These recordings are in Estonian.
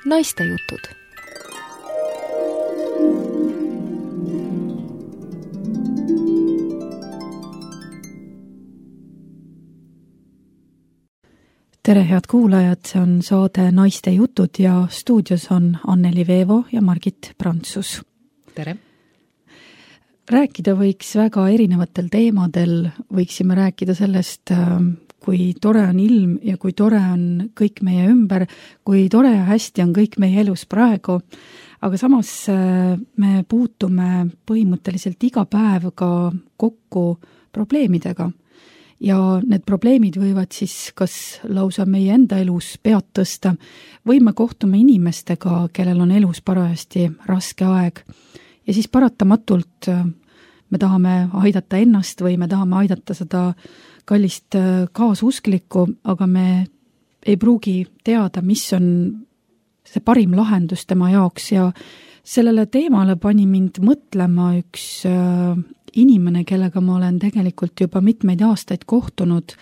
Naistejutud. Tere, head kuulajad, see on saade Naistejutud ja stuudios on Anneli Veevo ja Margit Prantsus. Tere! Rääkida võiks väga erinevatel teemadel, võiksime rääkida sellest, kui tore on ilm ja kui tore on kõik meie ümber, kui tore ja hästi on kõik meie elus praegu, aga samas me puutume põhimõtteliselt iga päev ka kokku probleemidega ja need probleemid võivad siis kas lausa meie enda elus pead tõsta või me kohtume inimestega, kellel on elus parajasti raske aeg. Ja siis paratamatult me tahame aidata ennast või me tahame aidata seda kallist kaasusklikku, aga me ei pruugi teada, mis on see parim lahendus tema jaoks ja sellele teemale pani mind mõtlema üks inimene, kellega ma olen tegelikult juba mitmeid aastaid kohtunud,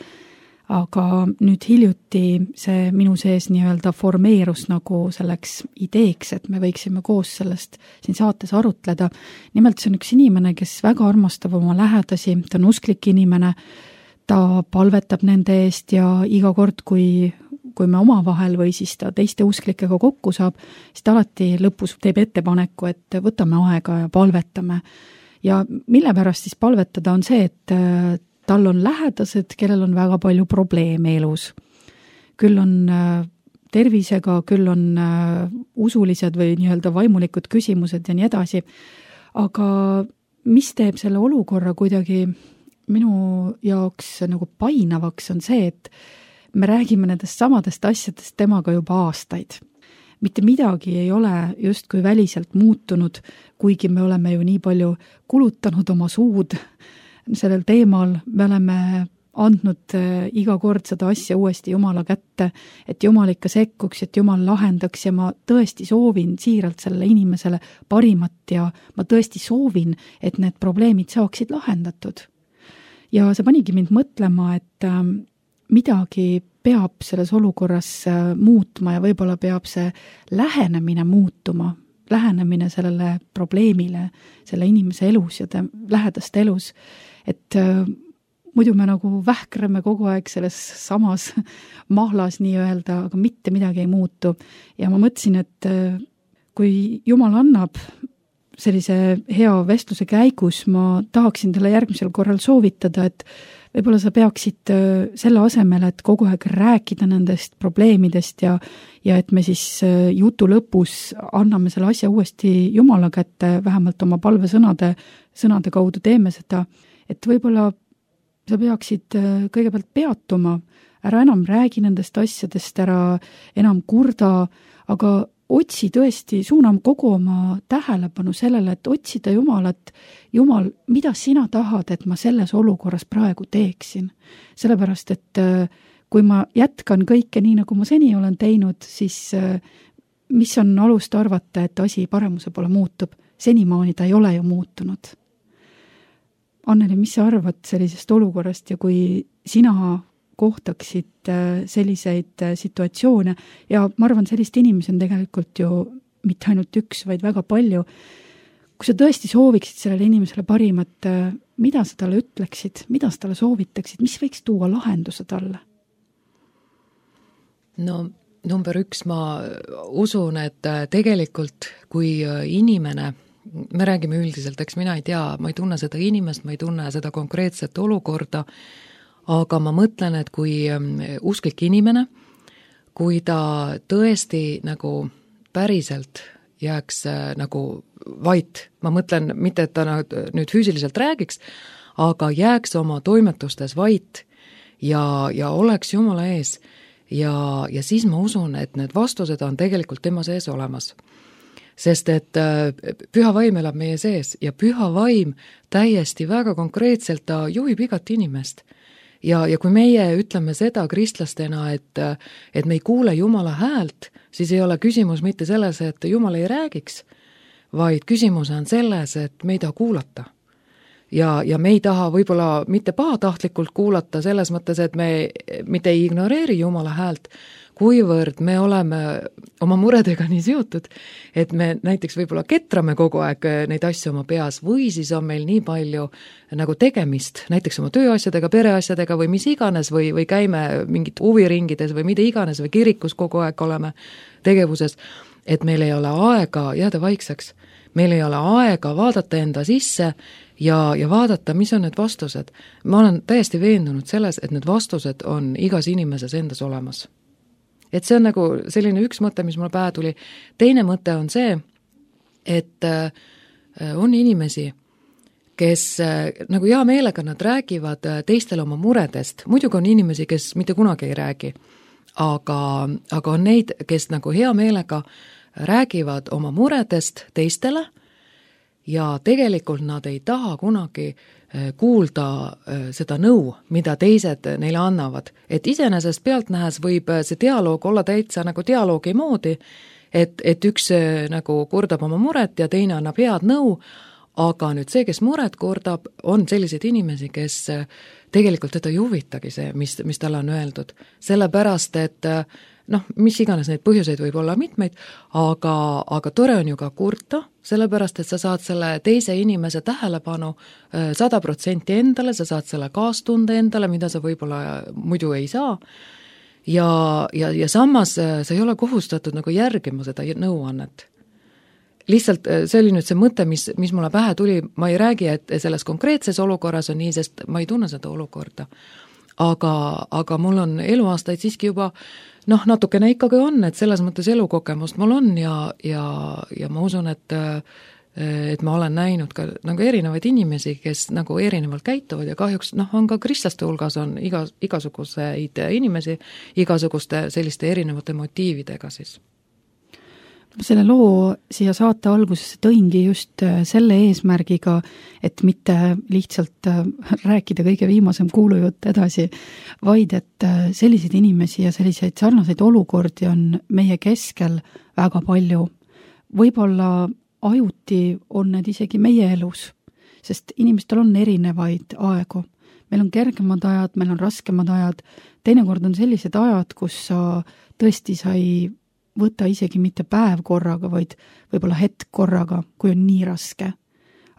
aga nüüd hiljuti see minu sees nii-öelda formeerus nagu selleks ideeks, et me võiksime koos sellest siin saates arutleda. Nimelt see on üks inimene, kes väga armastab oma lähedasi, ta on usklik inimene, ta palvetab nende eest ja iga kord, kui me omavahel või siis ta teiste usklikega kokku saab, siis ta alati lõpus teeb ettepaneku, et võtame aega ja palvetame. Ja mille pärast siis palvetada on see, et tal on lähedased, kellel on väga palju probleeme elus. Küll on tervisega, küll on usulised või nii-öelda vaimulikud küsimused ja nii edasi. Aga mis teeb selle olukorra kuidagi minu jaoks nagu painavaks on see, et me räägime nendest samadest asjadest temaga juba aastaid. Mitte midagi ei ole justkui väliselt muutunud, kuigi me oleme ju nii palju kulutanud oma suud sellel teemal, me oleme andnud iga kord seda asja uuesti Jumala kätte, et Jumal ikka sekkuks, et Jumal lahendaks ja ma tõesti soovin siiralt sellele inimesele parimat ja ma tõesti soovin, et need probleemid saaksid lahendatud. Ja see panigi mind mõtlema, et midagi peab selles olukorras muutma ja võib-olla peab see lähenemine muutuma, lähenemine sellele probleemile, selle inimese elus ja lähedaste elus, et muidu me nagu vähkrame kogu aeg selles samas mahlas nii-öelda, aga mitte midagi ei muutu. Ja ma mõtlesin, et kui Jumal annab sellise hea vestluse käigus, ma tahaksin talle järgmisel korral soovitada, et võib-olla sa peaksid selle asemel, et kogu aeg rääkida nendest probleemidest ja et me siis jutu lõpus anname selle asja uuesti Jumala kätte, vähemalt oma palvesõnade kaudu teeme seda, et võib-olla sa peaksid kõigepealt peatuma, ära enam räägi nendest asjadest, ära enam kurda, aga otsi tõesti, suunam kogu oma tähelepanu sellele, et otsida Jumalat, Jumal, mida sina tahad, et ma selles olukorras praegu teeksin. Sellepärast, et kui ma jätkan kõike nii, nagu ma seni olen teinud, siis mis on alust arvata, et asi paremuse poole muutub? Senimaani ta ei ole ju muutunud. Anneli, mis sa arvad sellisest olukorrast ja kui sina kohtaksid selliseid situatsioone ja ma arvan, sellist inimesi on tegelikult ju mitte ainult üks, vaid väga palju. Kui sa tõesti sooviksid sellele inimesele parimat, mida sa talle ütleksid, mida sa talle soovitaksid, mis võiks tuua lahenduse talle? No number 1, ma usun, et tegelikult kui inimene, me räägime üldiselt, eks mina ei tea, ma ei tunne seda inimest, ma ei tunne seda konkreetset olukorda, aga ma mõtlen, et kui usklik inimene, kui ta tõesti nagu päriselt jääks nagu vait, ma mõtlen mitte, et ta nüüd füüsiliselt räägiks, aga jääks oma toimetustes vait ja oleks Jumala ees ja siis ma usun, et need vastused on tegelikult tema sees olemas. Sest et püha vaim elab meie sees ja püha vaim täiesti väga konkreetselt ta juhib igat inimest. Ja kui meie ütleme seda kristlastena, et me ei kuule Jumala häält, siis ei ole küsimus mitte selles, et Jumal ei räägiks, vaid küsimus on selles, et me ei taha kuulata. Ja me ei taha võib-olla mitte pahatahtlikult kuulata selles mõttes, et me mitte ei ignoreeri Jumala häält, kuivõrd me oleme oma muredega nii seotud, et me näiteks võib-olla ketrame kogu aeg neid asju oma peas või siis on meil nii palju nagu tegemist, näiteks oma tööasjadega, pereasjadega või mis iganes või käime mingit huviringides või mida iganes või kirikus kogu aeg oleme tegevuses, et meil ei ole aega jääda vaikseks. Meil ei ole aega vaadata enda sisse ja vaadata, mis on need vastused. Ma olen täiesti veendunud selles, et need vastused on igas inimeses endas olemas. Et see on nagu selline üks mõte, mis mulle pähe tuli. Teine mõte on see, et on inimesi, kes nagu hea meelega nad räägivad teistele oma muredest. Muidugi on inimesi, kes mitte kunagi ei räägi, aga on neid, kes nagu hea meelega räägivad oma muredest teistele ja tegelikult nad ei taha kunagi kuulda seda nõu, mida teised neile annavad. Et iseenesest pealtnähes võib see dialoog olla täitsa nagu dialoogi moodi, et üks nagu kurdab oma muret ja teine annab head nõu, aga nüüd see, kes muret kurdab, on selliseid inimesi, kes tegelikult teda ei huvitagi see, mis talle on öeldud. Sellepärast, et mis iganes neid põhjuseid võib olla mitmeid, aga tore on ju ka kurta, sellepärast, et sa saad selle teise inimese tähelepanu 100% endale, sa saad selle kaastunde endale, mida sa võib-olla muidu ei saa. Ja samas sa ei ole kohustatud nagu järgima seda nõuannet. Lihtsalt see oli nüüd see mõte, mis mulle pähe tuli, ma ei räägi, et selles konkreetses olukorras on nii, sest ma ei tunne seda olukorda. Aga mul on eluaastaid siiski juba natukene ikkagi on, et selles mõttes elukogemust mul on ja ma usun, et ma olen näinud ka nagu erinevaid inimesi, kes nagu erinevalt käituvad ja kahjuks on ka kristlaste hulgas on igasuguseid inimesi, igasuguste selliste erinevate motiividega siis. Selle loo siia saate algusesse tõingi just selle eesmärgiga, et mitte lihtsalt rääkida kõige viimasem kuulujutt edasi, vaid et selliseid inimesi ja selliseid sarnaseid olukordi on meie keskel väga palju. Võib-olla ajuti on need isegi meie elus, sest inimestel on erinevaid aegu. Meil on kergemad ajad, meil on raskemad ajad, teinekord on sellised ajad, kus sa ei võta isegi mitte päev korraga, vaid võib-olla hetk korraga, kui on nii raske.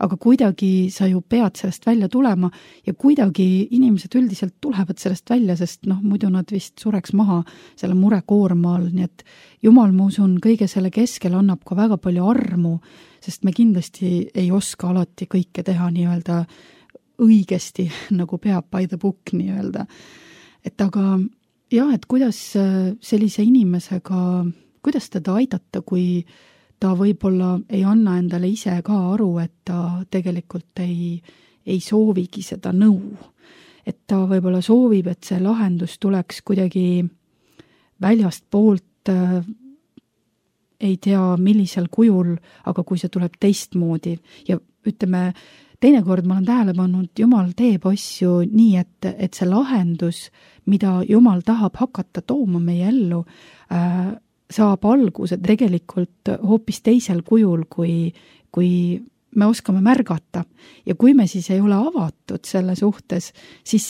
Aga kuidagi sa ju pead sellest välja tulema ja kuidagi inimesed üldiselt tulevad sellest välja, sest muidu nad vist sureks maha selle murekoorma all, nii et Jumal, ma usun, kõige selle keskel annab ka väga palju armu, sest me kindlasti ei oska alati kõike teha nii-öelda õigesti, nagu peab by the book nii-öelda. Et aga jah, et kuidas sellise inimesega, kuidas teda aidata, kui ta võib-olla ei anna endale ise ka aru, et ta tegelikult ei soovigi seda nõu. Et ta võib-olla soovib, et see lahendus tuleks kuidagi väljast poolt, ei tea millisel kujul, aga kui see tuleb teistmoodi. Ja ütleme, teinekord ma olen tähele pannud, Jumal teeb asju nii, et see lahendus, mida Jumal tahab hakata tooma meie ellu, saab alguse tegelikult hoopis teisel kujul, kui me oskame märgata. Ja kui me siis ei ole avatud selle suhtes, siis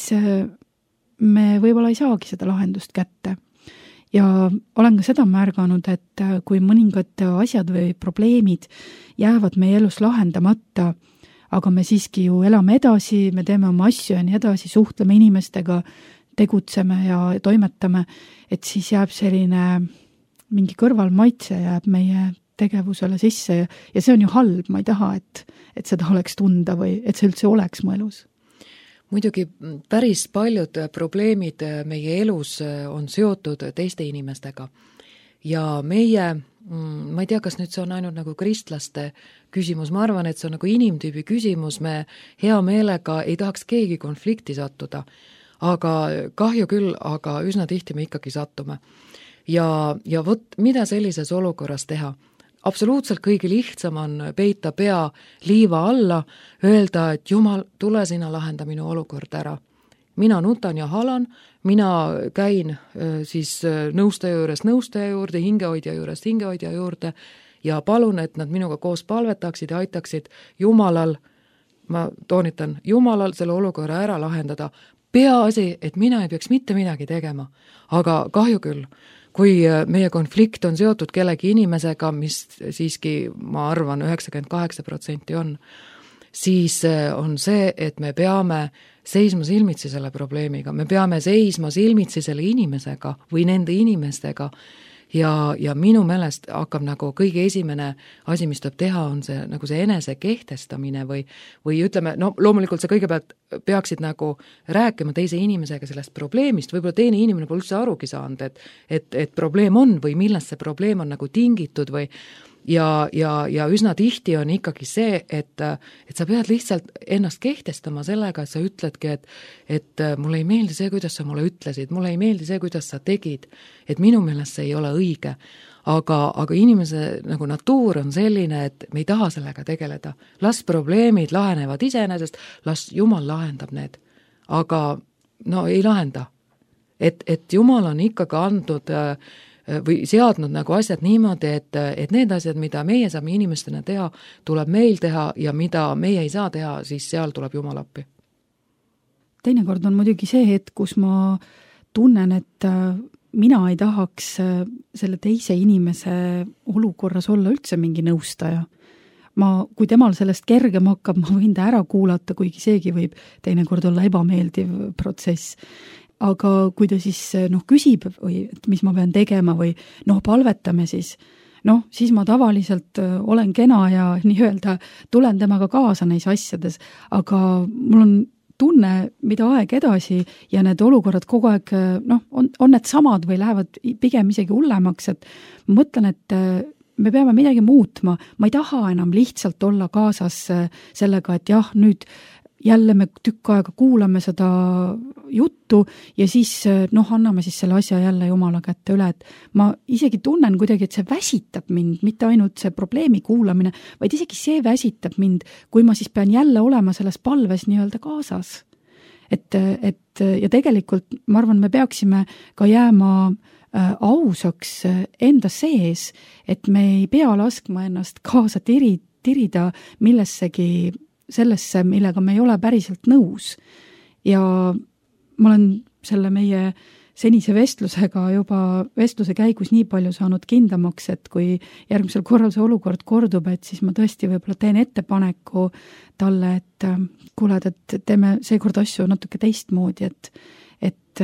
me võib-olla ei saagi seda lahendust kätte. Ja olen ka seda märganud, et kui mõningad asjad või probleemid jäävad meie elus lahendamata, aga me siiski ju elame edasi, me teeme oma asju ja nii edasi, suhtleme inimestega, tegutseme ja toimetame, et siis jääb selline mingi kõrvalmaitse jääb meie tegevusele sisse ja see on ju halb, ma ei taha, et seda oleks tunda või et see üldse oleks mu elus. Muidugi päris paljud probleemid meie elus on seotud teiste inimestega ja meie, ma ei tea, kas nüüd see on ainult nagu kristlaste küsimus, ma arvan, et see on nagu inimtüübi küsimus, me hea meelega ei tahaks keegi konflikti sattuda, aga kahju küll, aga üsna tihti me ikkagi sattume. Ja vot, mida sellises olukorras teha? Absoluutselt kõige lihtsam on peita pea liiva alla, öelda, et Jumal, tule sina lahenda minu olukord ära. Mina nutan ja halan, mina käin siis nõustaja juurde, hingehoidja juurde ja palun, et nad minuga koos palvetaksid ja aitaksid Jumalal, ma toonitan, Jumalal selle olukorra ära lahendada. Peaasi, et mina ei peaks mitte midagi tegema, aga kahju küll. kui meie konflikt on seotud kellegi inimesega, mis siiski, ma arvan, 98% on, siis on see, et me peame seisma silmitsi selle probleemiga, me peame seisma silmitsi selle inimesega või nende inimestega ja minu meelest hakkab nagu kõige esimene asi, mis tuleb teha, on see nagu see enese kehtestamine või ütleme, no loomulikult sa kõigepealt peaksid nagu rääkima teise inimesega sellest probleemist, võib-olla teine inimene pole üldse arugi saanud, et probleem on või millest see probleem on nagu tingitud või ja üsna tihti on ikkagi see, et sa pead lihtsalt ennast kehtestama sellega, et sa ütledki, et mulle ei meeldi see, kuidas sa mulle ütlesid, mulle ei meeldi see, kuidas sa tegid, et minu meelest see ei ole õige. Aga inimese nagu natuur on selline, et me ei taha sellega tegeleda. Las probleemid lahenevad iseenesest, las Jumal lahendab need. Aga no ei lahenda. Et Jumal on ikkagi andnud või seadnud nagu asjad niimoodi, et need asjad, mida meie saame inimestena teha, tuleb meil teha ja mida meie ei saa teha, siis seal tuleb Jumal appi. Teinekord on muidugi see hetk, kus ma tunnen, et mina ei tahaks selle teise inimese olukorras olla üldse mingi nõustaja. Kui temal sellest kergem hakkab, ma võin ta ära kuulata, kuigi seegi võib teinekord olla ebameeldiv protsess. Aga kui ta siis küsib või et mis ma pean tegema või palvetame siis ma tavaliselt olen kena ja nii-öelda tulen temaga kaasa neis asjades, aga mul on tunne, mida aeg edasi ja need olukorrad kogu aeg on need samad või lähevad pigem isegi hullemaks, et ma mõtlen, et me peame midagi muutma, ma ei taha enam lihtsalt olla kaasas sellega, et jah, nüüd jälle me tükk aega kuulame seda juttu ja siis anname siis selle asja jälle Jumala kätte üle, et ma isegi tunnen kuidagi, et see väsitab mind, mitte ainult see probleemi kuulamine, vaid isegi see väsitab mind, kui ma siis pean jälle olema selles palves nii-öelda kaasas. Et ja tegelikult ma arvan, me peaksime ka jääma ausaks enda sees, et me ei pea laskma ennast kaasa tirida millessegi sellesse, millega me ei ole päriselt nõus. Ja ma olen selle meie senise vestluse käigus nii palju saanud kindlamaks, et kui järgmisel korral see olukord kordub, et siis ma tõesti võib-olla teen ettepaneku talle, et kuule, et teeme seekord asju natuke teistmoodi, et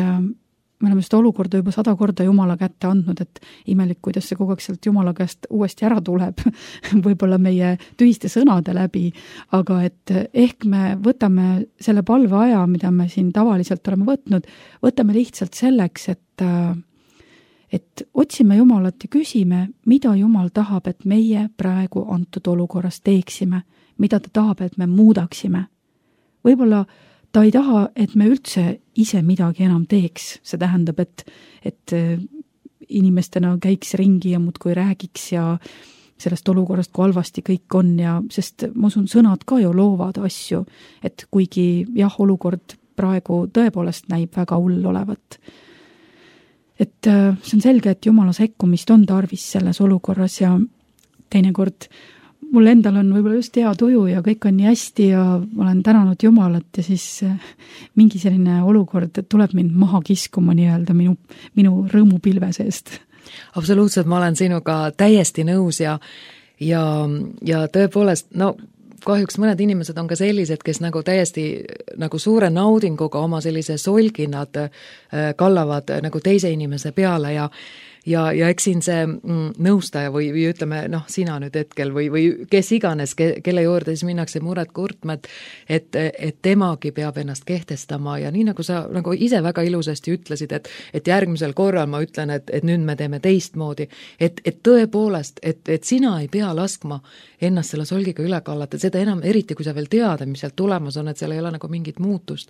me oleme seda olukorda juba 100 korda Jumala kätte andnud, et imelik, kuidas see kogu aeg sealt Jumala käest uuesti ära tuleb, võib-olla meie tühiste sõnade läbi, aga et ehk me võtame selle palveaja, mida me siin tavaliselt oleme võtnud, võtame lihtsalt selleks, et otsime Jumalat ja küsime, mida Jumal tahab, et meie praegu antud olukorras teeksime, mida ta tahab, et me muudaksime. Võib-olla ta ei taha, et me üldse ise midagi enam teeks. See tähendab, et inimestena käiks ringi ja muudkui räägiks ja sellest olukorrast, kui halvasti kõik on ja sest ma usun, sõnad ka ju loovad asju, et kuigi jah, olukord praegu tõepoolest näib väga hull olevat. Et see on selge, et Jumala sekkumist on tarvis selles olukorras ja teinekord mul endal on võib-olla just hea tuju ja kõik on nii hästi ja olen tänanud Jumalat ja siis mingi selline olukord tuleb mind maha kiskuma nii-öelda minu rõõmupilve seest. Absoluutselt, ma olen sinuga täiesti nõus ja tõepoolest, kahjuks mõned inimesed on ka sellised, kes nagu täiesti nagu suure naudinguga oma sellise solginad kallavad nagu teise inimese peale ja eks siin see nõustaja või ütleme, sina nüüd hetkel või kes iganes, kelle juurde siis minnakse muret kurtma, et temagi peab ennast kehtestama ja nii nagu sa nagu ise väga ilusasti ütlesid, et järgmisel korral ma ütlen, et nüüd me teeme teistmoodi, et tõepoolest, et sina ei pea laskma ennast selle solgiga üle kallata, seda enam eriti, kui sa veel tead, mis sealt tulemas on, et seal ei ole nagu mingit muutust.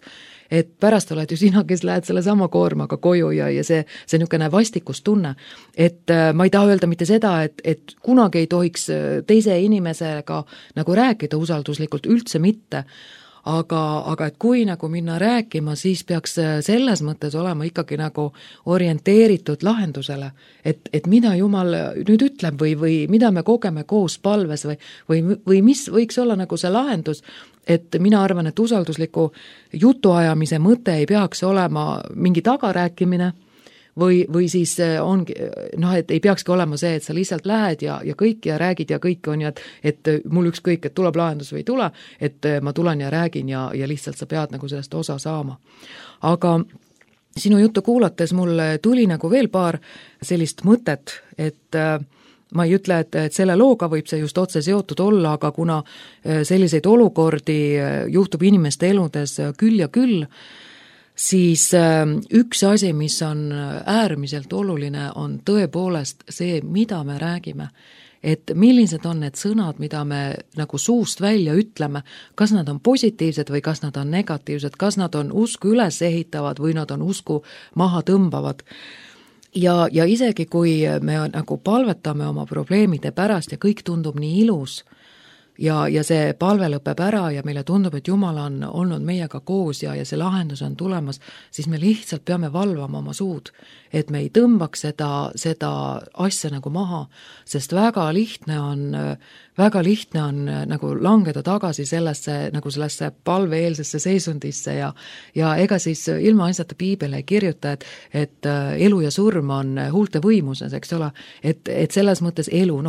Et pärast oled ju sina, kes lähed selle sama koormaga koju ja see niisugune vastikustunne. Et ma ei taha öelda mitte seda, et kunagi ei tohiks teise inimesega nagu rääkida usalduslikult, üldse mitte, aga et kui nagu minna rääkima, siis peaks selles mõttes olema ikkagi nagu orienteeritud lahendusele, et mida Jumal nüüd ütleb või mida me kogeme koos palves või mis võiks olla nagu see lahendus, et mina arvan, et usaldusliku jutuajamise mõte ei peaks olema mingi tagarääkimine, või siis ongi, noh, et ei peakski olema see, et sa lihtsalt lähed ja kõik ja räägid ja kõik on ju, et mul ükskõik, et tuleb lahendus või ei tule, et ma tulen ja räägin ja lihtsalt sa pead nagu sellest osa saama. Aga sinu juttu kuulates mul tuli nagu veel paar sellist mõtet, et ma ei ütle, et selle looga võib see just otse seotud olla, aga kuna selliseid olukordi juhtub inimeste eludes küll ja küll, siis üks asi, mis on äärmiselt oluline, on tõepoolest see, mida me räägime. Et millised on need sõnad, mida me nagu suust välja ütleme, kas nad on positiivsed või kas nad on negatiivsed, kas nad on usku üles ehitavad või nad on usku maha tõmbavad. Ja isegi kui me nagu palvetame oma probleemide pärast ja kõik tundub nii ilus ja see palve lõpeb ära ja meile tundub, et Jumal on olnud meiega koos ja see lahendus on tulemas, siis me lihtsalt peame valvama oma suud, et me ei tõmbaks seda asja nagu maha, sest väga lihtne on nagu langeda tagasi sellesse palveeelsesse seisundisse ja ega siis ilma asjata Piibel ei kirjuta, et elu ja surm on huulte võimuses, eks ole, et selles mõttes elu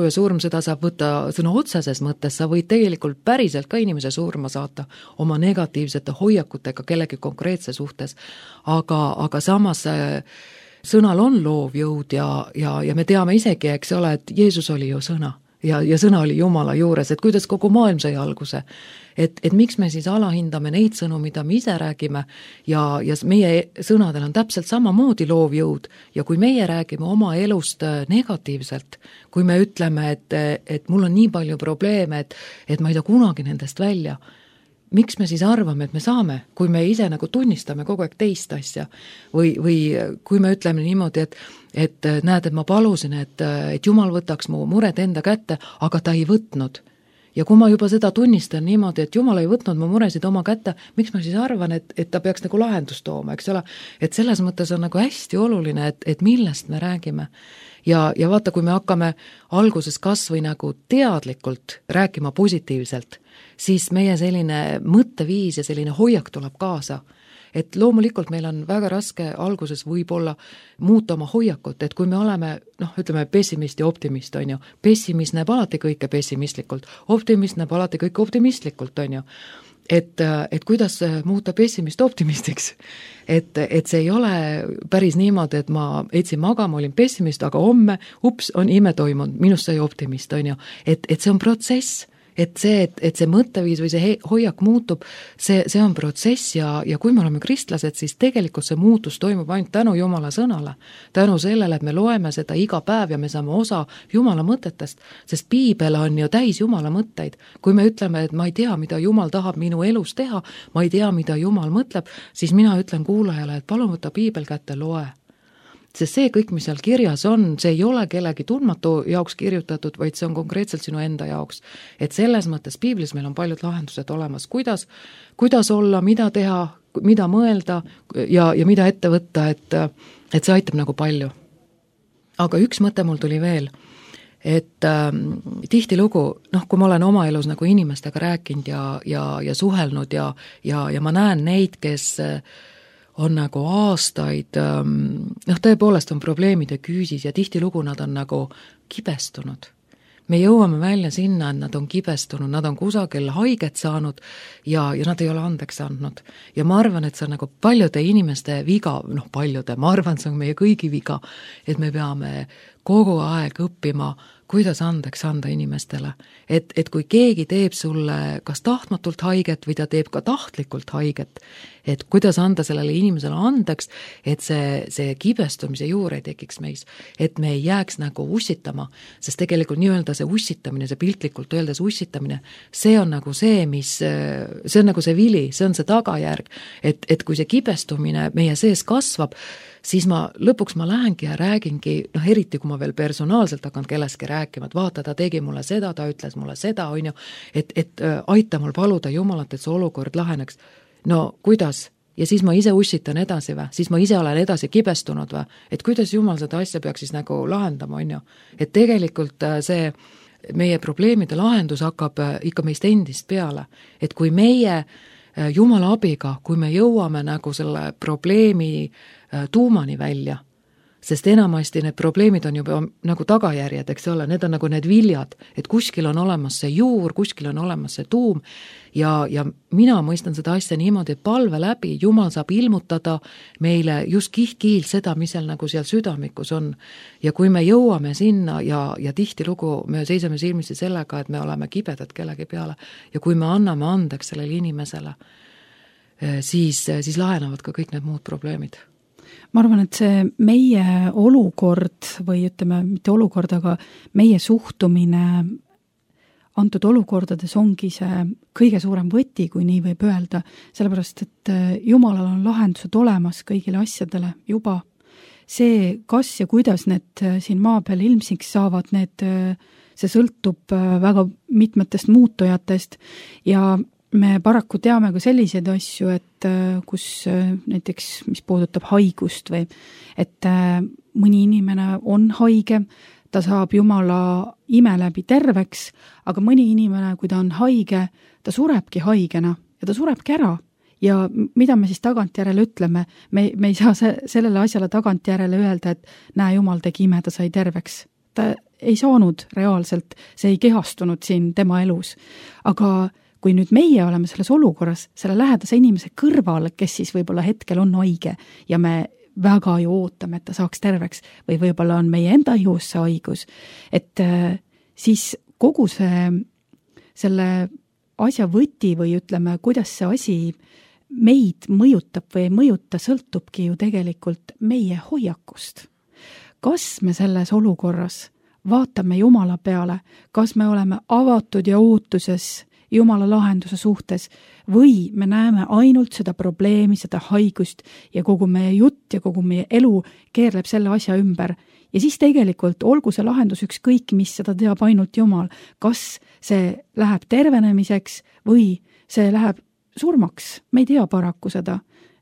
ja surm, seda saab võtta sõna otseses mõttes, sa võid tegelikult päriselt ka inimese surma saata oma negatiivsete hoiakutega kellegi konkreetse suhtes, aga samas sõnal on loov jõud ja me teame isegi, eks ole, et Jeesus oli ju sõna ja sõna oli Jumala juures, et kuidas kogu maailm sai alguse. Et miks me siis alahindame neid sõnu, mida me ise räägime ja meie sõnadel on täpselt samamoodi loov jõud ja kui meie räägime oma elust negatiivselt, kui me ütleme, et mul on nii palju probleeme, et ma ei saa kunagi nendest välja, miks me siis arvame, et me saame, kui me ise nagu tunnistame kogu aeg teist asja või kui me ütleme niimoodi, et näed, et ma palusin, et Jumal võtaks mu mured enda kätte, aga ta ei võtnud. Ja kui ma juba seda tunnistan niimoodi, et Jumal ei võtnud mu muresid oma kätte, miks ma siis arvan, et ta peaks nagu lahendust tooma, eks ole? Et selles mõttes on nagu hästi oluline, et millest me räägime. Ja vaata, kui me hakkame alguses kas või nagu teadlikult rääkima positiivselt, siis meie selline mõtteviis ja selline hoiak tuleb kaasa. Et loomulikult meil on väga raske alguses võib-olla muuta oma hoiakut, et kui me oleme, ütleme pessimist ja optimist, on ju, pessimist näeb alati kõike pessimistlikult, optimist näeb alati kõike optimistlikult, on ju, et kuidas muuta pessimist optimistiks, et see ei ole päris niimoodi, et ma etsin magama, olin pessimist, aga homme, on ime toimunud, minust sai optimist, on ju, et see on protsess. Et see mõtteviis või see hoiak muutub, see on protsess ja kui me oleme kristlased, siis tegelikult see muutus toimub ainult tänu Jumala sõnale. Tänu sellele, et me loeme seda iga päev ja me saame osa Jumala mõtetest, sest Piibel on ju täis Jumala mõtteid. Kui me ütleme, et ma ei tea, mida Jumal tahab minu elus teha, ma ei tea, mida Jumal mõtleb, siis mina ütlen kuulajale, et palun võta Piibel kätte, loe. Sest see kõik, mis seal kirjas on, see ei ole kellegi tundmatu jaoks kirjutatud, vaid see on konkreetselt sinu enda jaoks. Et selles mõttes Piiblis meil on paljud lahendused olemas, kuidas olla, mida teha, mida mõelda ja mida ette võtta, et see aitab nagu palju. Aga üks mõte mul tuli veel, et tihtilugu, kui ma olen oma elus nagu inimestega rääkinud ja suhelnud ja ma näen neid, kes on nagu aastaid, tõepoolest on probleemide küüsis ja tihtilugu nad on nagu kibestunud. Me jõuame välja sinna, et nad on kibestunud, nad on kusagil haiget saanud ja nad ei ole andeks andnud. Ja ma arvan, et see on nagu paljude inimeste viga, ma arvan, see on meie kõigi viga, et me peame kogu aeg õppima, kuidas andeks anda inimestele. Et kui keegi teeb sulle kas tahtmatult haiget või ta teeb ka tahtlikult haiget, et kuidas anda sellele inimesele andeks, et see kibestumise juur ei tekiks meis, et me ei jääks nagu ussitama, sest tegelikult nii-öelda see ussitamine, see piltlikult öeldes ussitamine, see on nagu see, see on nagu see vili, see on see tagajärg, et kui see kibestumine meie sees kasvab, siis lõpuks ma lähengi ja räägingi, eriti kui ma veel personaalselt hakkan kelleski rääkima, et vaata, ta tegi mulle seda, ta ütles mulle seda, on ju, et aita mul paluda Jumalat, et see olukord laheneks. No kuidas? Ja siis ma ise ussitan edasi või? Siis ma ise olen edasi kibestunud või? Et kuidas Jumal seda asja peaks siis nagu lahendama, on ju? Et tegelikult see meie probleemide lahendus hakkab ikka meist endist peale. Et kui meie Jumala abiga, kui me jõuame nagu selle probleemi tuumani välja, sest enamasti need probleemid on juba nagu tagajärjed, eks ole, need on nagu need viljad, et kuskil on olemas see juur, kuskil on olemas see tuum ja mina mõistan seda asja niimoodi, et palve läbi Jumal saab ilmutada meile just kiht-kihilt seda, mis seal nagu seal südamikus on. Ja kui me jõuame sinna ja tihtilugu me seisame silmitsi sellega, et me oleme kibedad kellegi peale ja kui me anname andeks sellele inimesele, siis lahenevad ka kõik need muud probleemid. Ma arvan, et see meie olukord või ütleme, mitte olukord, aga meie suhtumine antud olukordades ongi see kõige suurem võti, kui nii võib öelda, sellepärast, et Jumalal on lahendused olemas kõigile asjadele juba. See, kas ja kuidas need siin maa peal ilmsiks saavad, see sõltub väga mitmetest muutujatest ja me paraku teame ka selliseid asju, et kus näiteks, mis puudutab haigust või et mõni inimene on haige, ta saab Jumala ime läbi terveks, aga mõni inimene, kui ta on haige, ta surebki haigena ja ta surebki ära. Ja mida me siis tagantjärele ütleme? Me ei saa sellele asjale tagantjärele öelda, et näe, Jumal tegi ime, ta sai terveks. Ta ei saanud reaalselt, see ei kehastunud siin tema elus. Aga kui nüüd meie oleme selles olukorras, selle lähedase inimese kõrval, kes siis võib-olla hetkel on haige ja me väga ju ootame, et ta saaks terveks või võib-olla on meie enda ihus see haigus, et siis kogu selle asja võti või ütleme, kuidas see asi meid mõjutab või ei mõjuta, sõltubki ju tegelikult meie hoiakust. Kas me selles olukorras vaatame Jumala peale, kas me oleme avatud ja ootuses Jumala lahenduse suhtes või me näeme ainult seda probleemi, seda haigust ja kogu meie jutt ja kogu meie elu keerleb selle asja ümber. Ja siis tegelikult olgu see lahendus ükskõik, mis seda teab ainult Jumal. Kas see läheb tervenemiseks või see läheb surmaks? Me ei tea paraku seda,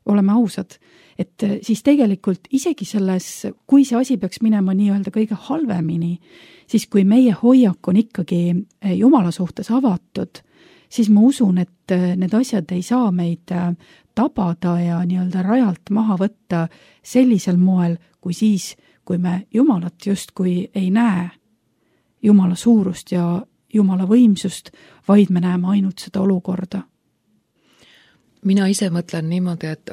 oleme ausad. Et siis tegelikult isegi selles, kui see asi peaks minema nii-öelda kõige halvemini, siis kui meie hoiak on ikkagi Jumala suhtes avatud, siis ma usun, et need asjad ei saa meid tabada ja nii-öelda rajalt maha võtta sellisel moel, kui siis, kui me Jumalat justkui ei näe, Jumala suurust ja Jumala võimsust, vaid me näeme ainult seda olukorda. Mina ise mõtlen niimoodi, et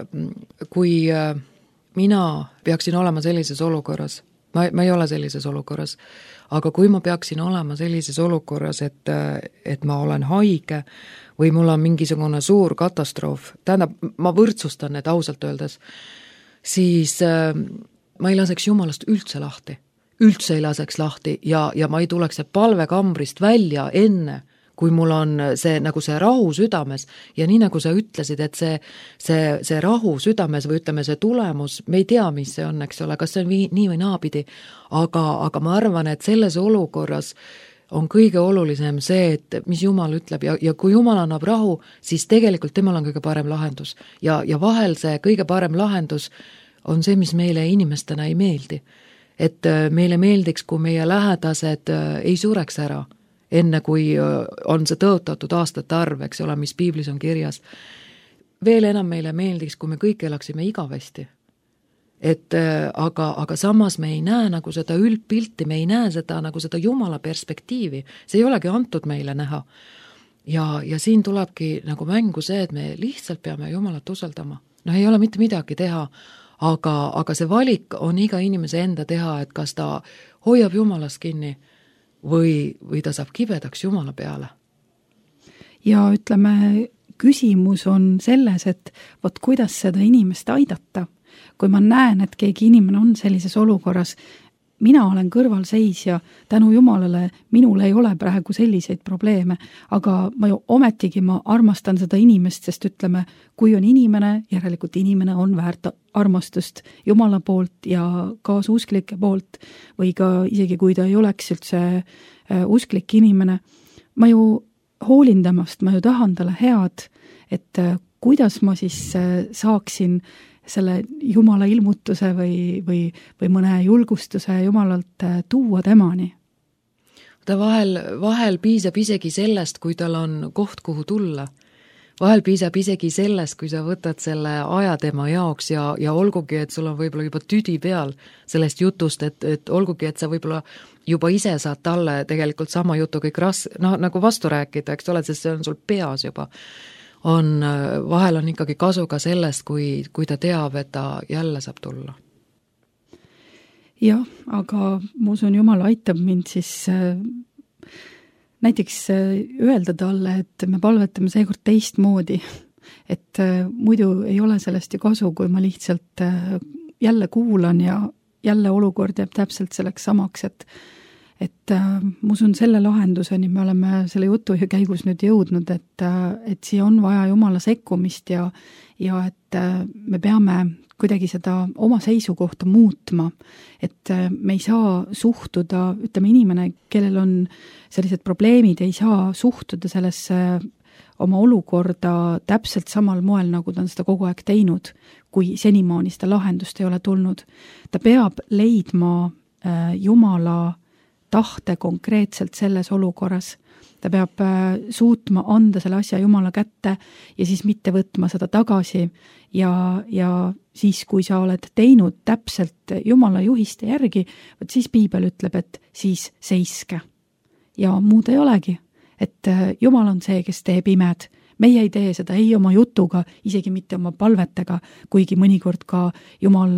kui mina peaksin olema sellises olukorras, ma ei ole sellises olukorras, aga kui ma peaksin olema sellises olukorras, et ma olen haige või mul on mingisugune suur katastroof, tähendab, ma võrdsustan need ausalt öeldes, siis ma ei laseks Jumalast üldse lahti. Üldse ei laseks lahti ja ma ei tuleks palvekambrist välja enne, kui mul on see, nagu see rahu südames ja nii nagu sa ütlesid, et see rahu südames või ütleme see tulemus, me ei tea, mis see on, eks ole, kas see on nii või naapidi, aga ma arvan, et selles olukorras on kõige olulisem see, et mis Jumal ütleb ja kui Jumal annab rahu, siis tegelikult temal on kõige parem lahendus ja vahel see kõige parem lahendus on see, mis meile inimestena ei meeldi. Et meile meeldiks, kui meie lähedased ei sureks ära, enne kui on see tõotatud aastate arv, eks ole, mis piiblis on kirjas. Veel enam meile meeldiks, kui me kõik elaksime igavesti. Aga samas me ei näe nagu seda üldpilti, me ei näe seda nagu seda Jumala perspektiivi. See ei olegi antud meile näha. Ja siin tulebki nagu mängu see, et me lihtsalt peame Jumalat usaldama. No ei ole mitte midagi teha, aga see valik on iga inimese enda teha, et kas ta hoiab Jumalast kinni või ta saab kibedaks Jumala peale. Ja ütleme, küsimus on selles, et võt kuidas seda inimest aidata. Kui ma näen, et keegi inimene on sellises olukorras, mina olen kõrvalseisja, tänu Jumalale minul ei ole praegu selliseid probleeme, aga ma ju ometigi ma armastan seda inimest, sest ütleme, kui on inimene, järelikult inimene on väärt armastust Jumala poolt ja kaasuusklike poolt või ka isegi kui ta ei oleks üldse usklik inimene, ma ju hoolin temast, ma ju tahan talle head, et kuidas ma siis saaksin selle Jumala ilmutuse või mõne julgustuse Jumalalt tuua temani. Ta vahel piisab isegi sellest, kui tal on koht, kuhu tulla. vahel piisab isegi sellest, kui sa võtad selle aja tema jaoks ja olgugi, et sul on võib-olla juba tüdi peal sellest jutust, et olgugi, et sa võib-olla juba ise saad talle tegelikult sama jutu kõik nagu vastu rääkida, eks ole, sest see on sul peas juba. Vahel on ikkagi kasu ka sellest, kui ta teab, et ta jälle saab tulla. Jah, aga ma usun, Jumal aitab mind siis näiteks öelda talle, et me palvetame seekord teistmoodi, et muidu ei ole sellest ju kasu, kui ma lihtsalt jälle kuulan ja jälle olukord jääb täpselt selleks samaks, et ma usun selle lahenduseni me oleme selle jutu käigus nüüd jõudnud, et siia on vaja Jumala sekkumist ja et me peame kuidagi seda oma seisukohta muutma, et me ei saa suhtuda, ütleme inimene, kellel on sellised probleemid, ei saa suhtuda sellesse oma olukorda täpselt samal moel, nagu ta on seda kogu aeg teinud, kui senimaani seda lahendust ei ole tulnud. Ta peab leidma Jumala tahte konkreetselt selles olukorras. Ta peab suutma anda selle asja Jumala kätte ja siis mitte võtma seda tagasi ja siis, kui sa oled teinud täpselt Jumala juhiste järgi, siis Piibel ütleb, et siis seiske. Ja muud ei olegi, et Jumal on see, kes teeb imed. Meie ei tee seda ei oma jutuga, isegi mitte oma palvetega, kuigi mõnikord ka Jumal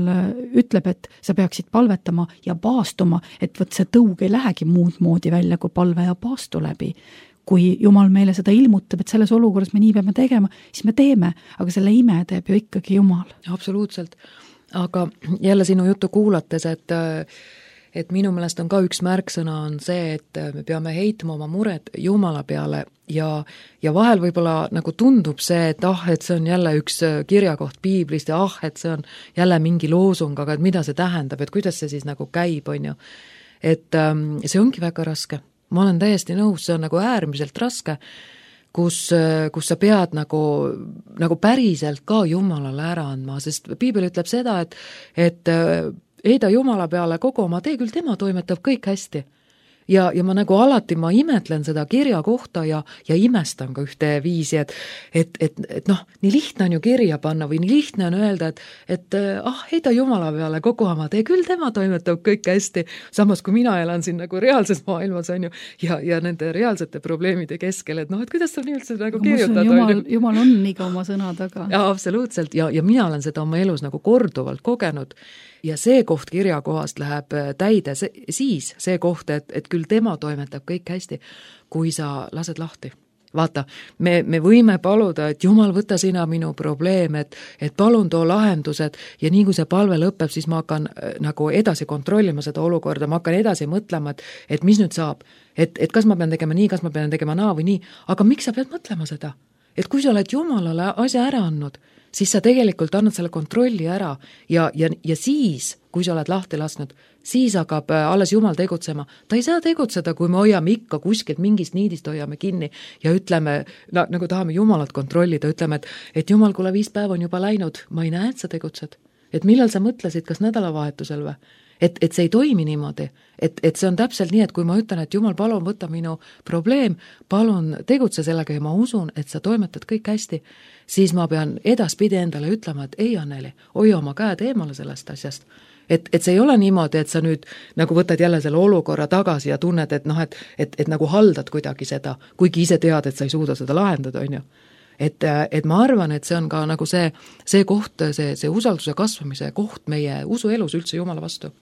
ütleb, et sa peaksid palvetama ja paastuma, et võt see tõug ei lähegi muud moodi välja kui palve ja paastu läbi. Kui Jumal meile seda ilmutab, et selles olukorras me nii peame tegema, siis me teeme, aga selle ime teeb ju ikkagi Jumal. Absoluutselt. Aga jälle sinu juttu kuulates, et minu meelest on ka üks märksõna on see, et me peame heitma oma mured Jumala peale ja vahel võib-olla nagu tundub see, et see on jälle üks kirjakoht Piiblist ja et see on jälle mingi loosung, aga et mida see tähendab, et kuidas see siis nagu käib, on ju. Et see ongi väga raske. Ma olen täiesti nõus, see on nagu äärmiselt raske, kus sa pead nagu päriselt ka Jumalale ära andma, sest Piibel ütleb seda, et heida Jumala peale kogu oma tee, küll tema toimetab kõik hästi. Ja ma nagu alati ma imetlen seda kirja kohta ja imestan ka ühte viisi, et noh, nii lihtne on ju kirja panna või nii lihtne on öelda, et heida Jumala peale kogu oma tee, küll tema toimetab kõik hästi, samas kui mina elan siin nagu reaalses maailmas on ju ja nende reaalsete probleemide keskel, et kuidas sa nii üldse nagu kirjutada. Jumal on iga oma sõna taga. Ja absoluutselt ja mina olen seda oma elus nagu korduvalt kogenud. Ja see koht kirjakohast läheb täide siis see koht, et küll tema toimetab kõik hästi, kui sa lased lahti. Vaata, me võime paluda, et Jumal, võta sina minu probleem, et palun too lahendused ja nii kui see palve lõpeb, siis ma hakkan nagu edasi kontrollima seda olukorda, ma hakkan edasi mõtlema, et mis nüüd saab, et kas ma pean tegema nii, kas ma pean tegema naa või nii, aga miks sa pead mõtlema seda? Et kui sa oled Jumalale asja ära andnud, siis sa tegelikult annad selle kontrolli ära ja siis, kui sa oled lahti lasknud, siis hakkab alles Jumal tegutsema. Ta ei saa tegutseda, kui me hoiame ikka kuskilt mingist niidist hoiame kinni ja ütleme, nagu tahame Jumalat kontrollida, ütleme, et Jumal, kuule 5 päeva on juba läinud, ma ei näe, et sa tegutsed. Et millal sa mõtlesid, kas nädalavahetusel või? Et see ei toimi niimoodi, et see on täpselt nii, et kui ma ütlen, et Jumal, palun võta minu probleem, palun tegutse sellega ja ma usun, et sa toimetad kõik hästi, siis ma pean edaspidi endale ütlema, et ei, Anneli, hoia oma käed eemale sellest asjast. Et see ei ole niimoodi, et sa nüüd nagu võtad jälle selle olukorra tagasi ja tunned, et nagu haldad kuidagi seda, kuigi ise tead, et sa ei suuda seda lahendada, on ju. Et ma arvan, et see on ka nagu see koht, see usalduse kasvamise koht meie usuelus üldse Jumala vastu.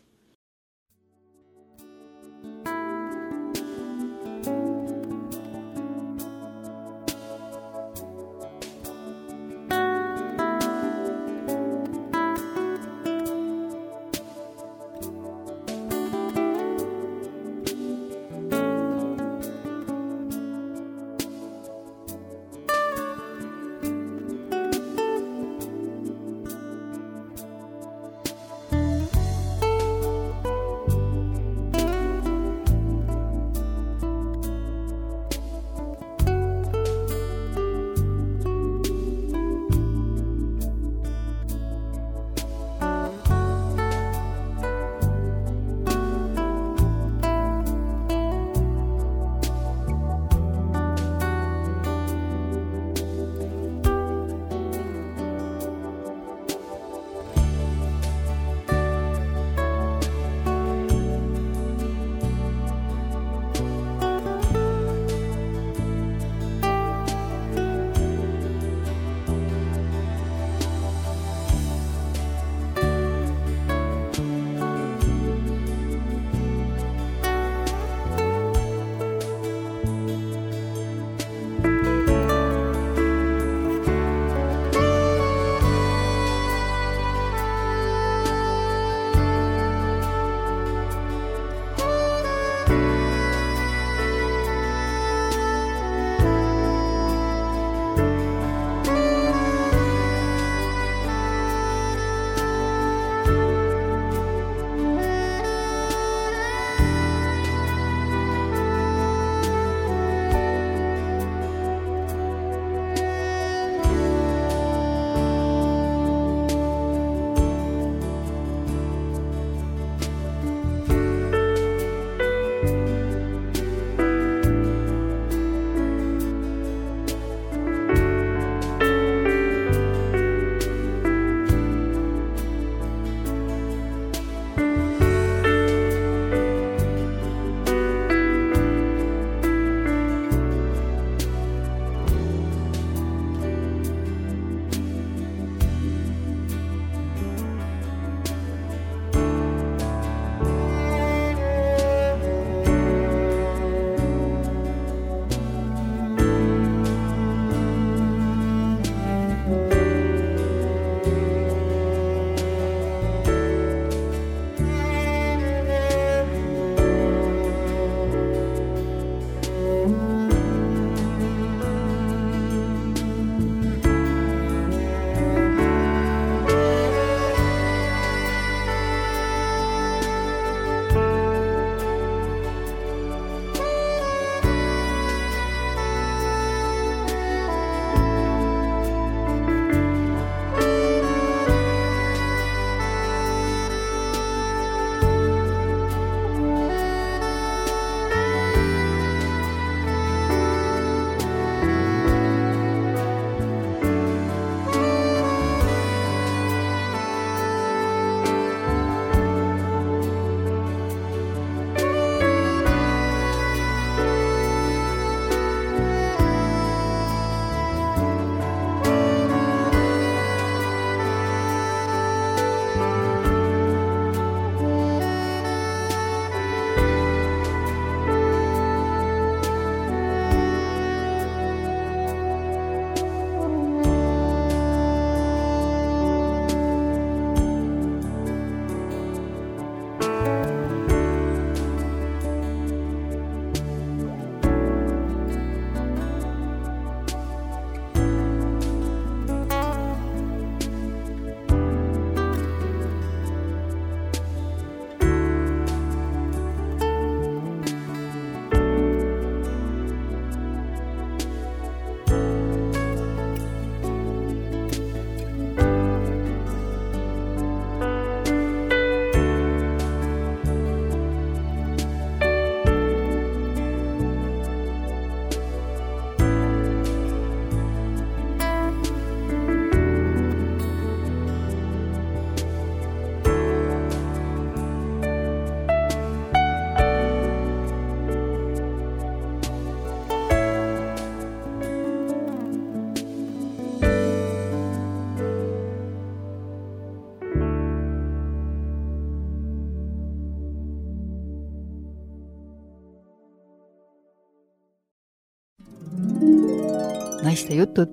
naiste jutud.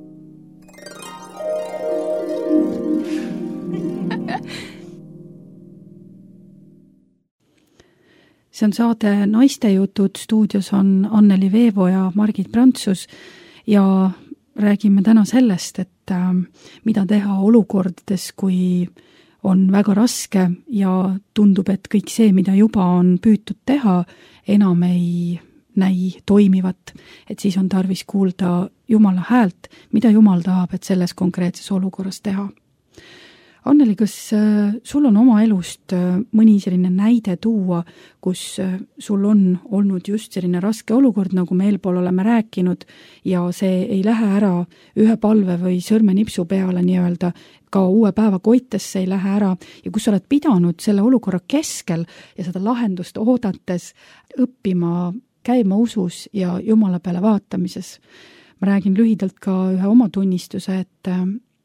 See on saade Naiste jutud, stuudios on Anneli Veevo ja Margit Prantsus ja räägime täna sellest, et mida teha olukordades, kui on väga raske ja tundub, et kõik see, mida juba on püütud teha, enam ei näi toimivat, et siis on tarvis kuulda Jumala häält, mida Jumal tahab, et selles konkreetses olukorras teha. Anneli, kas sul on oma elust mõni selline näide tuua, kus sul on olnud just selline raske olukord, nagu me eelpool oleme rääkinud, ja see ei lähe ära ühe palve või sõrmenipsu peale nii-öelda, ka uue päeva koitesse ei lähe ära, ja kus sa oled pidanud selle olukorra keskel ja seda lahendust oodates õppima, käima usus ja Jumala peale vaatamises. Ma räägin lühidalt ka ühe oma tunnistuse, et